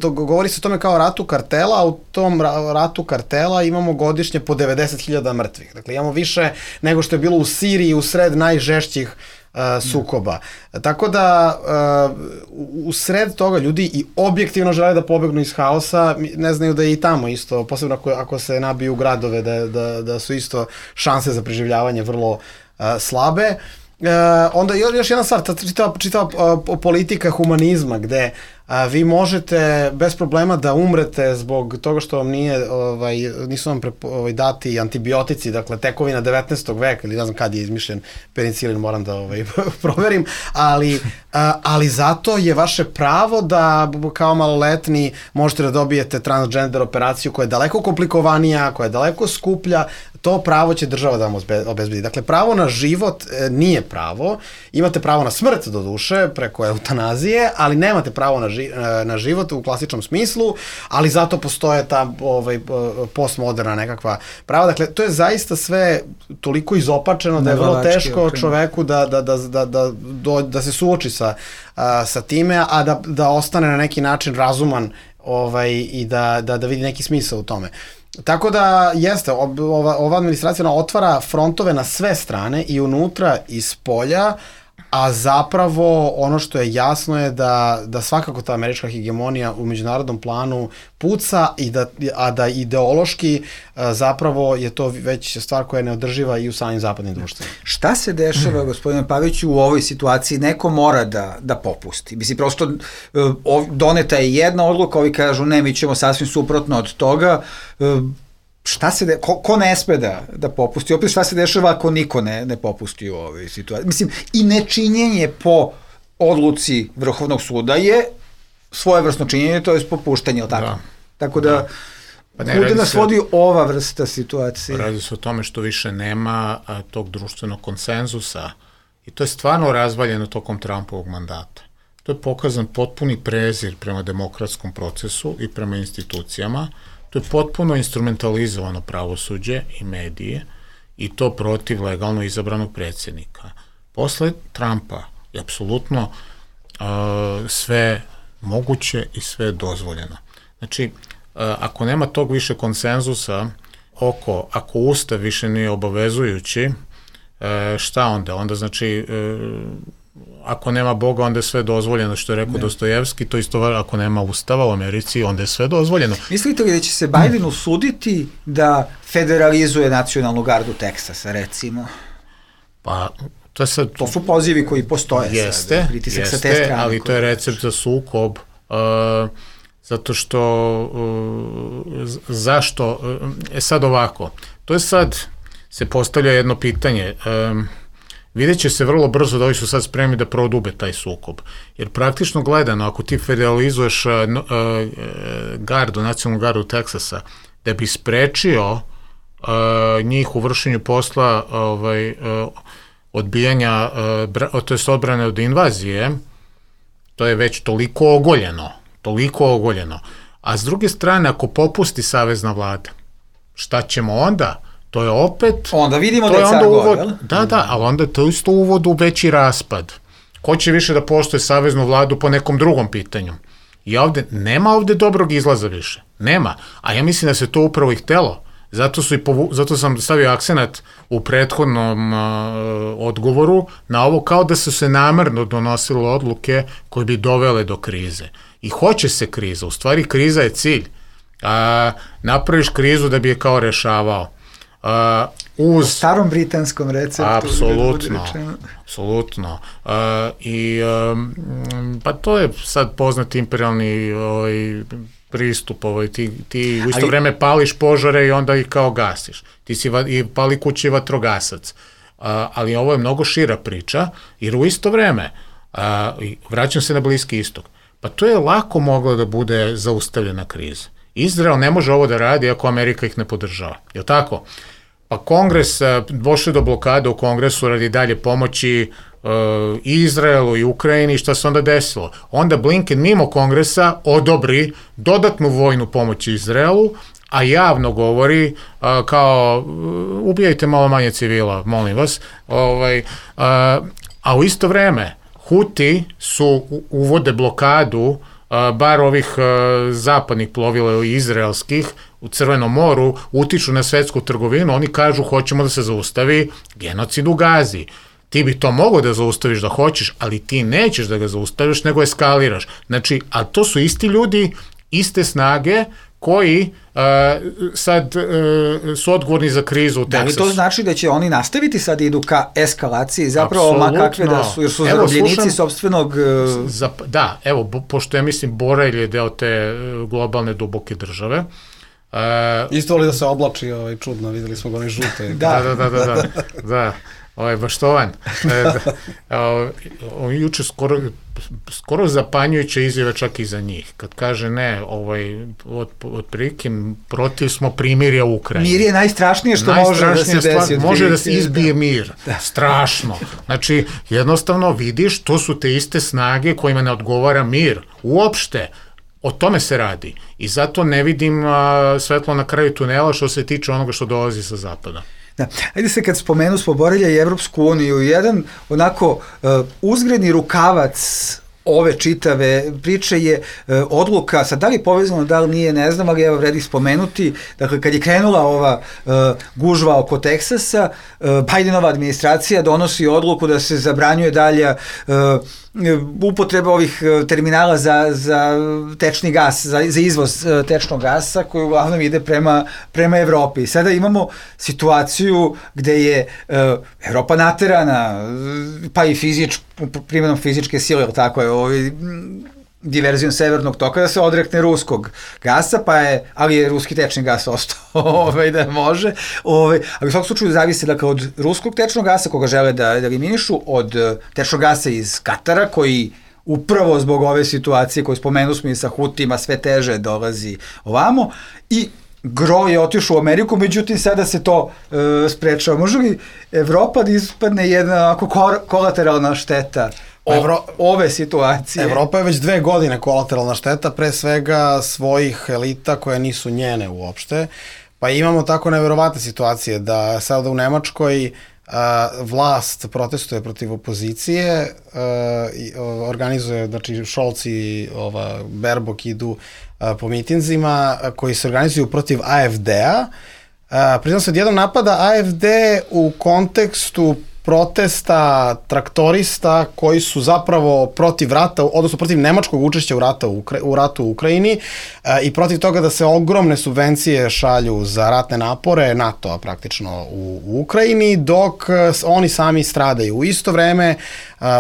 to govori se o tome kao ratu kartela, a u tom ratu kartela imamo godišnje po 90.000 mrtvih. Dakle, imamo više nego što je bilo u Siriji u sred najžešćih sukoba. Tako da u sred toga ljudi i objektivno žele da pobegnu iz haosa, ne znaju da je i tamo isto, posebno ako se nabiju u gradove, da su isto šanse za preživljavanje vrlo slabe. Onda još jedna stvar, čitava politika humanizma, gde vi možete bez problema da umrete zbog toga što vam nisu vam dati antibiotici, dakle tekovina 19. veka, ili ne znam kad je izmišljen penicilin, moram da proverim, ali zato je vaše pravo da kao maloletni možete da dobijete transgender operaciju koja je daleko komplikovanija, koja je daleko skuplja. To pravo će država da vam obezbedi. Dakle, pravo na život nije pravo. Imate pravo na smrt, do duše, preko eutanazije, ali nemate pravo na život u klasičnom smislu, ali zato postoje ta postmoderna nekakva prava. Dakle, to je zaista sve toliko izopačeno da je vrlo teško čoveku da se suoči sa time, a da ostane na neki način razuman i da vidi neki smisao u tome. Tako da jeste, ova administracija otvara frontove na sve strane, i unutra i spolja, a zapravo ono što je jasno je da svakako ta američka hegemonija u međunarodnom planu puca, a da ideološki zapravo je to već stvar koja je neodrživa i u samim zapadnim društvima. Šta se dešava, gospodine Paviću, u ovoj situaciji? Neko mora da popusti. Mislim, prosto doneta je jedna odluka, ovi kažu ne, mi ćemo sasvim suprotno od toga. Šta se ko ne sme da popusti? Opet šta se dešava ako niko ne popusti u ovoj situaciji? Mislim, i nečinjenje po odluci Vrhovnog suda je svojevrsno činjenje, to je popuštanje, ili tako? Tako da, kuda nas vodi ova vrsta situacije? Radi se o tome što više nema tog društvenog konsenzusa, i to je stvarno razvaljeno tokom Trumpovog mandata. To je pokazan potpuni prezir prema demokratskom procesu i prema institucijama. To je potpuno instrumentalizovano pravosuđe i medije, i to protiv legalno izabranog predsjednika. Posle Trumpa je apsolutno sve moguće i sve dozvoljeno. Znači, ako nema tog više konsenzusa ako Ustav više nije obavezujući, šta onda? Onda znači, ako nema Boga, onda je sve dozvoljeno, što je rekao Dostojevski, to isto ako nema Ustava u Americi, onda je sve dozvoljeno. Mislite li da će se Biden usuditi da federalizuje nacionalnu gardu Teksasa, recimo? Pa, to su pozivi koji postoje. Jeste, ali to je recept za sukob, zato što, zašto, sad ovako, to je sad, se postavlja jedno pitanje, vidjet će se vrlo brzo da ovi su sad spremni da prodube taj sukob. Jer praktično gledano, ako ti federalizuješ nacionalnu gardu Teksasa, da bi sprečio njih u vršenju posla odbijanja, to je odbrane od invazije, to je već toliko ogoljeno. A s druge strane, ako popusti savezna vlada, šta ćemo onda? To je opet... Onda vidimo da je car god, jel? Da, ali onda to isto uvod u veći raspad. Ko će više da poštuje saveznu vladu po nekom drugom pitanju? I nema ovde dobrog izlaza više. Nema. A ja mislim da se to upravo i htelo. Zato sam stavio akcenat u prethodnom odgovoru na ovo, kao da su se namerno donosile odluke koje bi dovele do krize. I hoće se kriza. U stvari, kriza je cilj. Napraviš krizu da bi je kao rešavao. U starom britanskom receptu. Apsolutno. Pa to je sad poznat imperialni pristup, ti u isto vreme pališ požare i onda ih kao gasiš. Ti si pali kući vatrogasac. Ali ovo je mnogo šira priča, jer u isto vreme, vraćam se na Bliski istok, pa to je lako moglo da bude zaustavljena kriza. Izrael ne može ovo da radi ako Amerika ih ne podržava. Je li tako? Pa Kongres, došli do blokade u Kongresu radi dalje pomoći i Izraelu i Ukrajini, šta se onda desilo? Onda Blinken mimo Kongresa odobri dodatnu vojnu pomoć Izraelu, a javno govori kao ubijajte malo manje civila, molim vas, a u isto vreme Huti uvode blokadu bar ovih zapadnih plovila i izraelskih u Crvenom moru, utiču na svetsku trgovinu, oni kažu hoćemo da se zaustavi genocid u Gazi. Ti bi to mogao da zaustaviš da hoćeš, ali ti nećeš da ga zaustaviš, nego eskaliraš. Znači, a to su isti ljudi, iste snage koji sad su odgovorni za krizu u Teksasu. Da li to znači da će oni nastaviti sad idu ka eskalaciji, zapravo makakve da su, jer su zarobljenici sopstvenog... Da, evo, pošto ja mislim Borelj je deo te globalne duboke države. Isto li da se oblači čudno, videli smo ga oni žute. Da. Baštovan. Juče skoro zapanjujuće izjave čak i za njih. Kad kaže ne, otprilike protiv smo primirja u Ukrajini. Mir je najstrašnije što može da se desi. Može da se izbije mir. Strašno. Znači, jednostavno vidiš, to su te iste snage kojima ne odgovara mir. Uopšte. O tome se radi. I zato ne vidim svetlo na kraju tunela što se tiče onoga što dolazi sa zapada. Da. Ajde se kad spomenu smo Borelja i Evropsku uniju, jedan onako uzgredni rukavac ove čitave priče je odluka, sad da li je povezano, da li nije, ne znam, ali evo vredi spomenuti, dakle kad je krenula ova gužva oko Teksasa, Bidenova administracija donosi odluku da se zabranjuje dalja upotreba ovih terminala za tečni gas, za izvoz tečnog gasa koji uglavnom ide prema Evropi. Sada imamo situaciju gde je Evropa naterana, pa i primjenom fizičke sile, ili tako je, diverzijom severnog toka da se odrekne ruskog gasa, ali je ruski tečni gas ostao da može, ali u svakom slučaju zavise dakle od ruskog tečnog gasa koga žele da eliminišu, od tečnog gasa iz Katara koji upravo zbog ove situacije koju spomenu smo i sa Hutima sve teže dolazi ovamo i gro je otišao u Ameriku, međutim sada se to sprečava. Može li Evropa da ispadne jedna kolateralna šteta ove situacije? Evropa je već 2 godine kolateralna šteta, pre svega svojih elita koje nisu njene uopšte, pa imamo tako neverovatne situacije da sada u Nemačkoj vlast protestuje protiv opozicije, organizuje, znači Scholz i Baerbock idu po mitinzima koji se organizuju protiv AfD-a. Pritom se odjednom napada AfD u kontekstu protesta traktorista koji su zapravo protiv rata, odnosno protiv nemačkog učešća u ratu u Ukrajini i protiv toga da se ogromne subvencije šalju za ratne napore NATO-a praktično u Ukrajini, dok oni sami stradaju. U isto vreme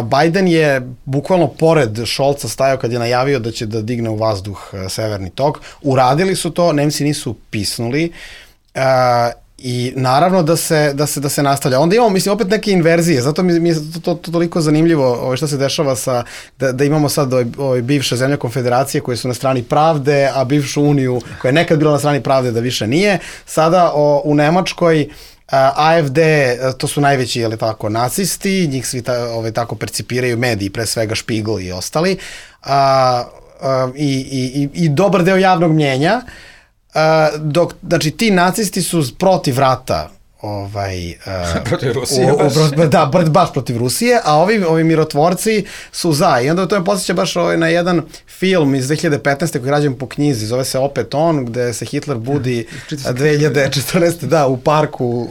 Biden je bukvalno pored Scholza stajao kad je najavio da će da digne u vazduh severni tok. Uradili su to, Nemci nisu pisnuli, i naravno da se nastavlja. Onda imamo, mislim, opet neke inverzije, zato mi je to toliko zanimljivo što se dešava da imamo sad bivše zemlje konfederacije koje su na strani pravde, a bivšu uniju koja je nekad bila na strani pravde da više nije. Sada u Nemačkoj AfD, to su najveći, je li tako, nacisti, njih svi tako percipiraju mediji, pre svega Spiegel i ostali, i dobar deo javnog mnjenja, dok, znači, ti nacisti su protiv rata protiv Rusije baš protiv Rusije, a ovi mirotvorci su za. I onda to me posjeća baš na jedan film iz 2015. koji je rađen po knjizi, zove se Opet on, gde se Hitler budi 2014. u parku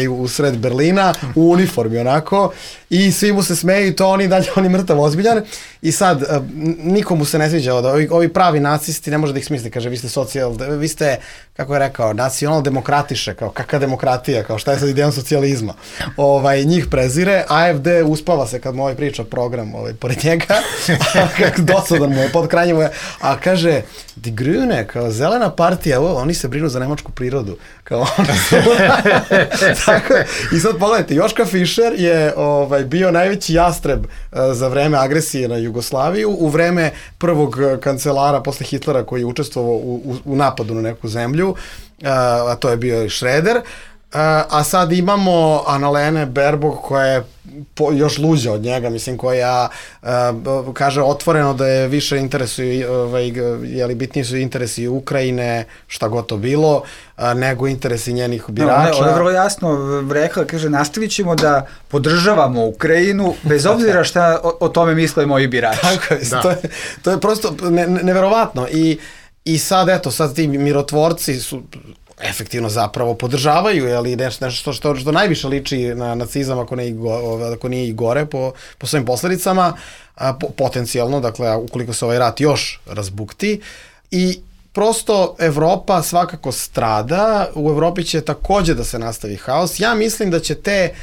u sred Berlina, u uniformi onako, i svi mu se smeju i to on je mrtav ozbiljan. I sad, nikomu se ne sviđa, ovi pravi nacisti, ne može da ih smisli, kaže, vi ste, kako je rekao, nacional-demokratiše, kao kakva demokratija, kao šta je sad idejom socijalizma. Njih prezire, AfD uspava se kad mu priča program pored njega, kako dosadan mu je, pod krajnjem mu je, a kaže, Die Grüne, kao zelena partija, oni se brinu za nemačku prirodu, kao tako, i sad pogledajte, Joška Fischer je bio najveći jastreb za vreme agresije na Jugoslaviju, u vreme prvog kancelara posle Hitlera koji je učestvovao u napadu na neku zemlju, a to je bio i Schröder, a sad imamo Annalene Baerbock koja je još luđa od njega, mislim, koja kaže otvoreno da je više interesuju, bitniji su interesi Ukrajine, šta god to bilo, nego interesi njenih birača. Ona je vrlo jasno rekla, kaže, nastavit ćemo da podržavamo Ukrajinu, bez obzira šta o tome misle moji birači. Tako je, to je prosto neverovatno. I sad, eto, sad ti mirotvorci su efektivno zapravo podržavaju, jeli, nešto što najviše liči na nacizam, ako nije i gore po svojim posledicama, potencijalno, dakle, ukoliko se ovaj rat još razbukti. I prosto Evropa svakako strada, u Evropi će takođe da se nastavi haos. Ja mislim da će te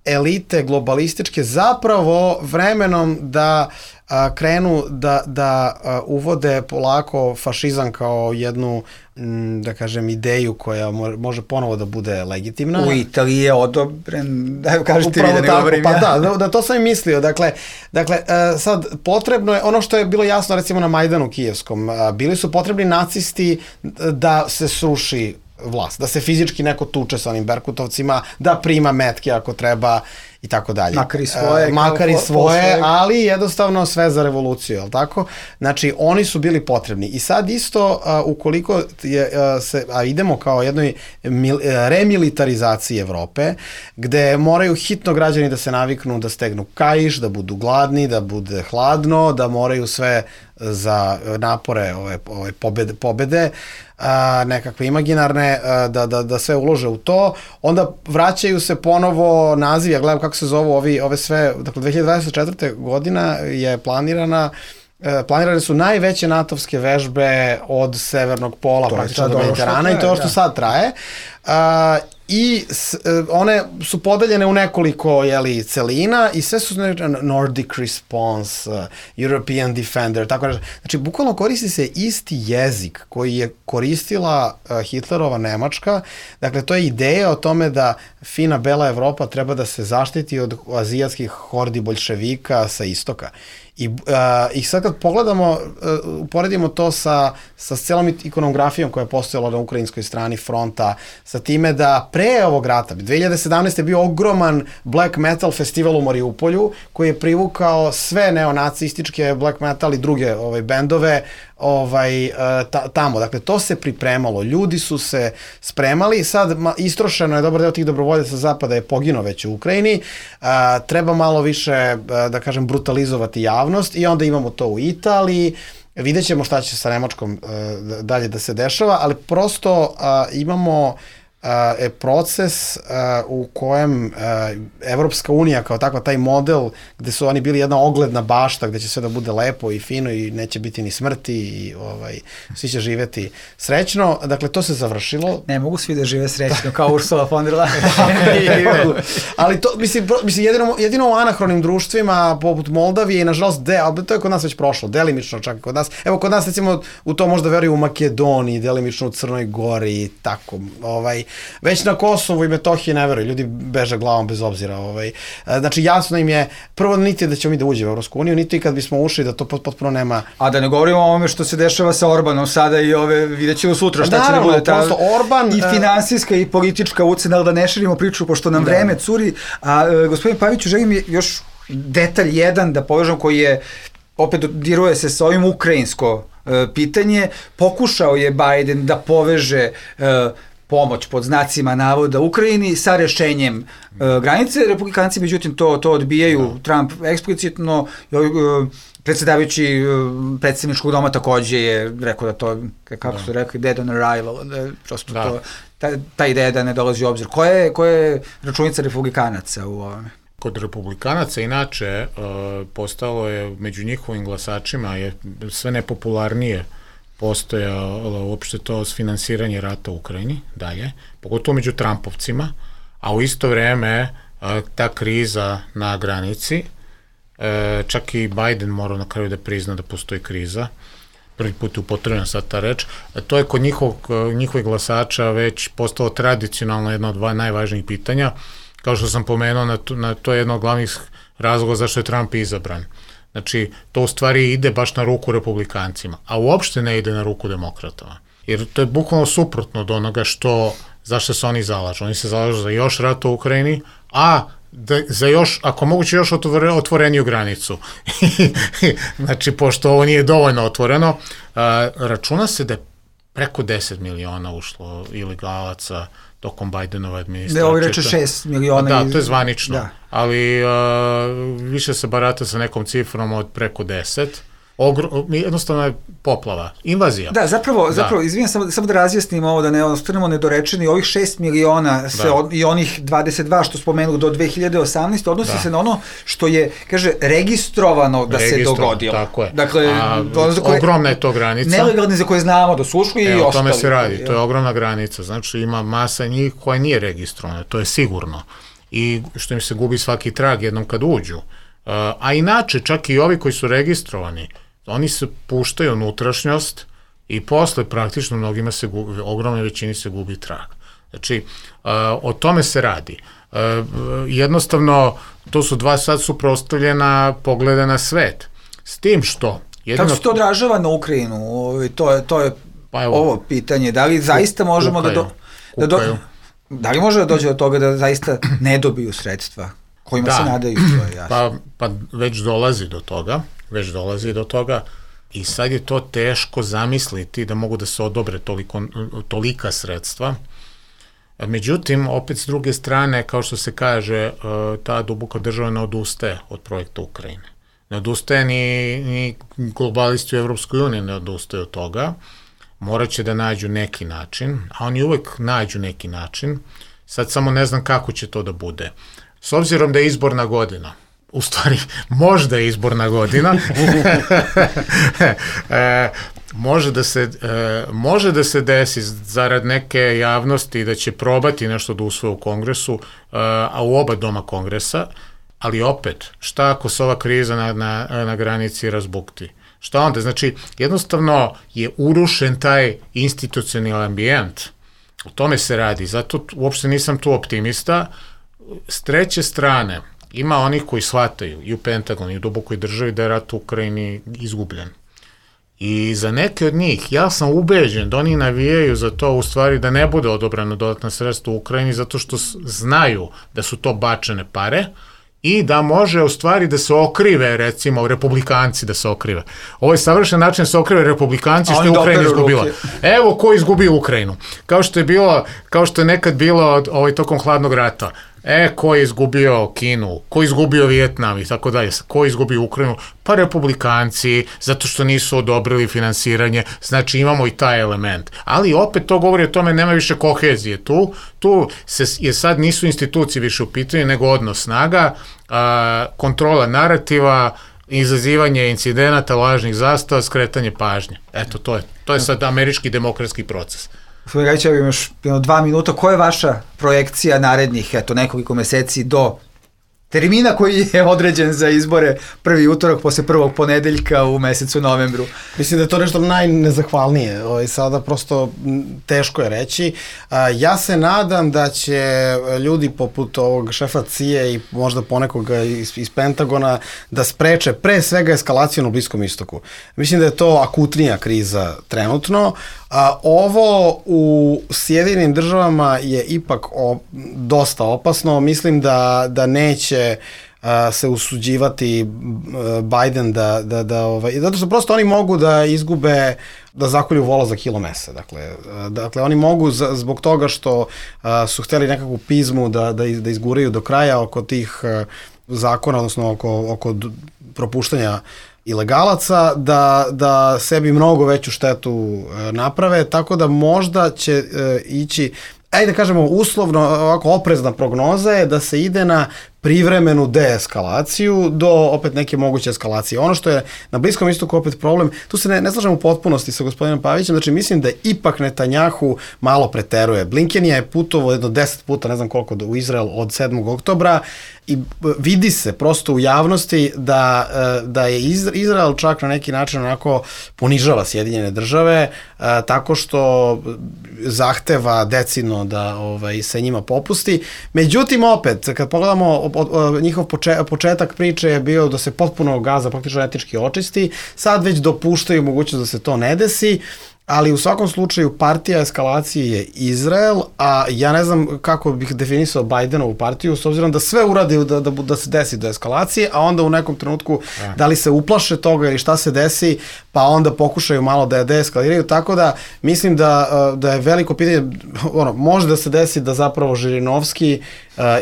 elite globalističke zapravo vremenom da krenu da uvode polako fašizam kao jednu, da kažem, ideju koja može ponovo da bude legitimna. U Italiji je odobren, da kažete vi da ne govorim ja. Pa da, to sam i mislio. Dakle, sad potrebno je, ono što je bilo jasno recimo na Majdanu kijevskom, bili su potrebni nacisti da se sruši vlast, da se fizički neko tuče sa onim berkutovcima, da prima metke ako treba i tako dalje. Makar i svoje, ali jednostavno sve za revoluciju, jel tako? Znači, oni su bili potrebni. I sad isto, ukoliko idemo kao jednoj remilitarizaciji Evrope, gde moraju hitno građani da se naviknu da stegnu kaiš, da budu gladni, da bude hladno, da moraju sve za napore ove pobede, nekakve imaginarne, da sve ulože u to, onda vraćaju se ponovo naziv, ja gledam kako se zovu ove sve, dakle 2024. godina je planirane su najveće natovske vežbe od severnog pola praktično do Mediterana i to što sad traje. I one su podeljene u nekoliko celina i sve su Nordic Response, European Defender, tako nešto. Znači, bukvalno koristi se isti jezik koji je koristila Hitlerova Nemačka. Dakle, to je ideja o tome da fina bela Evropa treba da se zaštiti od azijatskih hordi boljševika sa istoka. I sad kad pogledamo, uporedimo to sa celom ikonografijom koja je postojala na ukrajinskoj strani fronta, sa time da pre ovog rata, 2017. je bio ogroman black metal festival u Mariupolju, koji je privukao sve neonacističke black metal i druge bendove tamo. Dakle, to se pripremalo, ljudi su se spremali, sad istrošeno je, dobar deo tih dobrovoljaca zapada je poginuo već u Ukrajini, treba malo više, da kažem, brutalizovati javnost i onda imamo to u Italiji, vidjet ćemo šta će sa Nemačkom dalje da se dešava, ali prosto imamo proces u kojem Evropska unija kao takva, taj model gde su oni bili jedna ogledna bašta gde će sve da bude lepo i fino i neće biti ni smrti i svi će živeti srećno, dakle to se završilo. Ne mogu svi da žive srećno kao Ursula von der Leyen. Ali to, mislim jedino u anahronim društvima poput Moldavije i nažalost, to je kod nas već prošlo, delimično čak kod nas. Evo kod nas recimo u to možda veruju u Makedoniji, delimično u Crnoj Gori i tako, već na Kosovu i Metohiji ne veruju, ljudi beže glavom bez obzira. Znači jasno im je, prvo niti da ćemo mi da uđemo u Evropsku uniju, niti kad bismo ušli da to potpuno nema. A da ne govorimo o ovome što se dešava sa Orbanom sada i vidjet ćemo sutra šta će da bude ta i finansijska i politička ucena, ali da ne širimo priču pošto nam vreme curi. A gospodin Paviću, želim još detalj jedan da povežem koji je, opet diruje se sa ovim ukrajinsko pitanje, pokušao je Biden da poveže pomoć pod znacima navoda Ukrajini sa rešenjem granice. Republikanci, međutim, to odbijaju. Trump eksplicitno, predsjedavajući predsjedničkog doma takođe je rekao da to, kako su rekli, dead on arrival, prosto to, ta ideja da ne dolazi u obzir. Koja je računica republikanaca u ovome? Kod republikanaca inače postalo je među njihovim glasačima je sve nepopularnije postojalo uopšte to finansiranje rata u Ukrajini dalje, pogotovo među Trumpovcima, a u isto vreme ta kriza na granici, čak i Biden mora na kraju da prizna da postoji kriza, prvi put je upotrebljena sad ta reč, to je kod njihovih glasača već postalo tradicionalno jedno od najvažnijih pitanja, kao što sam pomenuo, to je jedno od glavnih razloga zašto je Trump izabran. Znači, to u stvari ide baš na ruku republikancima, a uopšte ne ide na ruku demokratova. Jer to je bukvalno suprotno od onoga zašto se oni zalažu. Oni se zalažu za još rat u Ukrajini, a za još, ako moguće još otvoreniju granicu. Znači, pošto ovo nije dovoljno otvoreno, računa se da je preko 10 miliona ušlo ilegalaca tokom Bidenove administracije. Da, ovi reče 6 miliona. Da, to je zvanično, ali više se barata sa nekom cifrom od preko 10. Jednostavno je poplava, invazija. Da, zapravo izvijem, samo da razjasnimo ovo, da ne ostanemo nedorečeni, ovih 6 miliona i onih 22 što spomenu do 2018 odnosi se na ono što je, kaže, registrovano da se dogodilo. Tako je. Dakle, ogromna je to granica. Nelegalni za koje znamo da su ušli i ostali. O tome se radi, to je ogromna granica, znači ima masa njih koja nije registrovana, to je sigurno. I što im se gubi svaki trag jednom kad uđu. A inače, čak i ovi koji su registrovani, oni se puštaju unutrašnjost i posle praktično mnogima se gubi, ogromnoj većini se gubi trag. Znači, o tome se radi. Jednostavno, to su dva sad suprotstavljena pogleda na svet. S tim što... Kako se to odražava na Ukrajinu? To je ovo pitanje. Da li zaista možemo da li može da dođe do toga da zaista ne dobiju sredstva kojima se nadaju? To je jasno. Pa već dolazi do toga i sad je to teško zamisliti da mogu da se odobre tolika sredstva. Međutim, opet s druge strane, kao što se kaže, ta duboka država ne odustaje od projekta Ukrajine. Ne odustaje ni globalisti u Evropskoj uniji ne odustaje od toga. Morat će da nađu neki način, a oni uvek nađu neki način. Sad samo ne znam kako će to da bude. S obzirom da je izborna godina, u stvari, možda je izborna godina, može da se desi zarad neke javnosti da će probati nešto da usvoje u Kongresu, a u oba doma Kongresa, ali opet, šta ako se ova kriza na granici razbukti? Šta onda? Znači, jednostavno je urušen taj institucionalni ambijent. O tome se radi, zato uopšte nisam tu optimista. S treće strane, ima onih koji shvataju i u Pentagonu i u dubokoj državi da je rat u Ukrajini izgubljen. I za neke od njih, ja sam ubeđen da oni navijaju za to u stvari da ne bude odobrano dodatna sredstva u Ukrajini zato što znaju da su to bačene pare i da može u stvari da se okrive, recimo, republikanci da se okrive. Ovo je savršen način da se okrive republikanci što je Ukrajina izgubila. Evo ko izgubio Ukrajinu. Kao što je nekad bilo tokom hladnog rata. Ko je izgubio Kinu, ko je izgubio Vijetnam i tako dalje, ko je izgubio Ukrajinu? Pa republikanci, zato što nisu odobrili finansiranje, znači imamo i taj element. Ali opet to govori o tome, nema više kohezije tu je sad nisu institucije više u pitanju, nego odnos snaga, kontrola narativa, izazivanje incidenata, lažnih zastava, skretanje pažnje. Eto, to je sad američki demokratski proces. Gospodin Gajić, ja bih još 2 minuta. Koja je vaša projekcija narednih nekoliko meseci do termina koji je određen za izbore prvi utorak posle prvog ponedeljka u mesecu novembru? Mislim da je to nešto najnezahvalnije. Sada prosto teško je reći. Ja se nadam da će ljudi poput ovog šefa CIA i možda ponekoga iz Pentagona da spreče pre svega eskalaciju na Bliskom istoku. Mislim da je to akutnija kriza trenutno. Ovo u Sjedinim državama je ipak dosta opasno. Mislim da neće se usuđivati Biden zato što prosto oni mogu da izgube, da zakolju vola za kilo mesa. Dakle, oni mogu zbog toga što su hteli nekakvu pizmu da izguraju do kraja oko tih zakona, odnosno oko propuštanja ilegalaca, da sebi mnogo veću štetu naprave, tako da možda će ići, ajde da kažemo uslovno, ovako oprezna prognoza je da se ide na privremenu deeskalaciju do opet neke moguće eskalacije. Ono što je na Bliskom istoku opet problem, tu se ne slažem u potpunosti sa gospodinom Pavićem, znači mislim da ipak Netanjahu malo preteruje. Blinken je putovao jedno 10 puta, ne znam koliko, u Izrael od 7. oktobra i vidi se prosto u javnosti da je Izrael čak na neki način onako ponižava Sjedinjene države tako što zahteva decidno da se njima popusti. Međutim, opet, kad pogledamo njihov početak priče je bio da se potpuno Gaza praktično etnički očisti, sad već dopuštaju mogućnost da se to ne desi ali u svakom slučaju partija eskalacije je Izrael, a ja ne znam kako bih definisao Bajdenovu partiju, s obzirom da sve uradi da se desi do eskalacije, a onda u nekom trenutku da li se uplaše toga ili šta se desi, pa onda pokušaju malo da je deeskaliraju, tako da mislim da je veliko pitanje, može da se desi da zapravo Žirinovski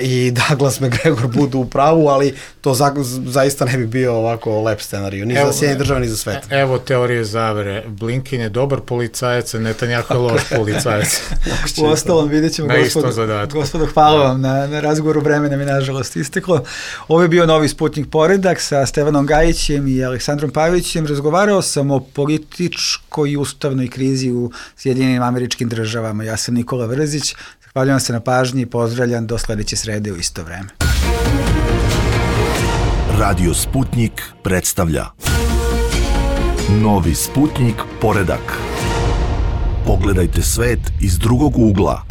i Douglas McGregor budu u pravu, ali to zaista ne bi bio ovako lep scenariju, ni za Sjedinjene Države, ni za svet. Evo teorije zavere. Blinken je dobar policajac, a Netanjahu je loš policajac. U ostalom vidjet ćemo, gospodo, hvala vam na razgovoru, vremena mi nažalost isteklo. Ovo je bio Novi Sputnik Poredak sa Stevanom Gajićem i Aleksandrom Pavićem. Razgovarao sam o političkoj i ustavnoj krizi u Sjedinjenim Američkim Državama. Ja sam Nikola Vrzić. Zahvaljujem se na pažnji i pozdravljam do sledeće srede u isto vreme. Radio Sputnik predstavlja Novi Sputnik Poredak. Pogledajte svet iz drugog ugla.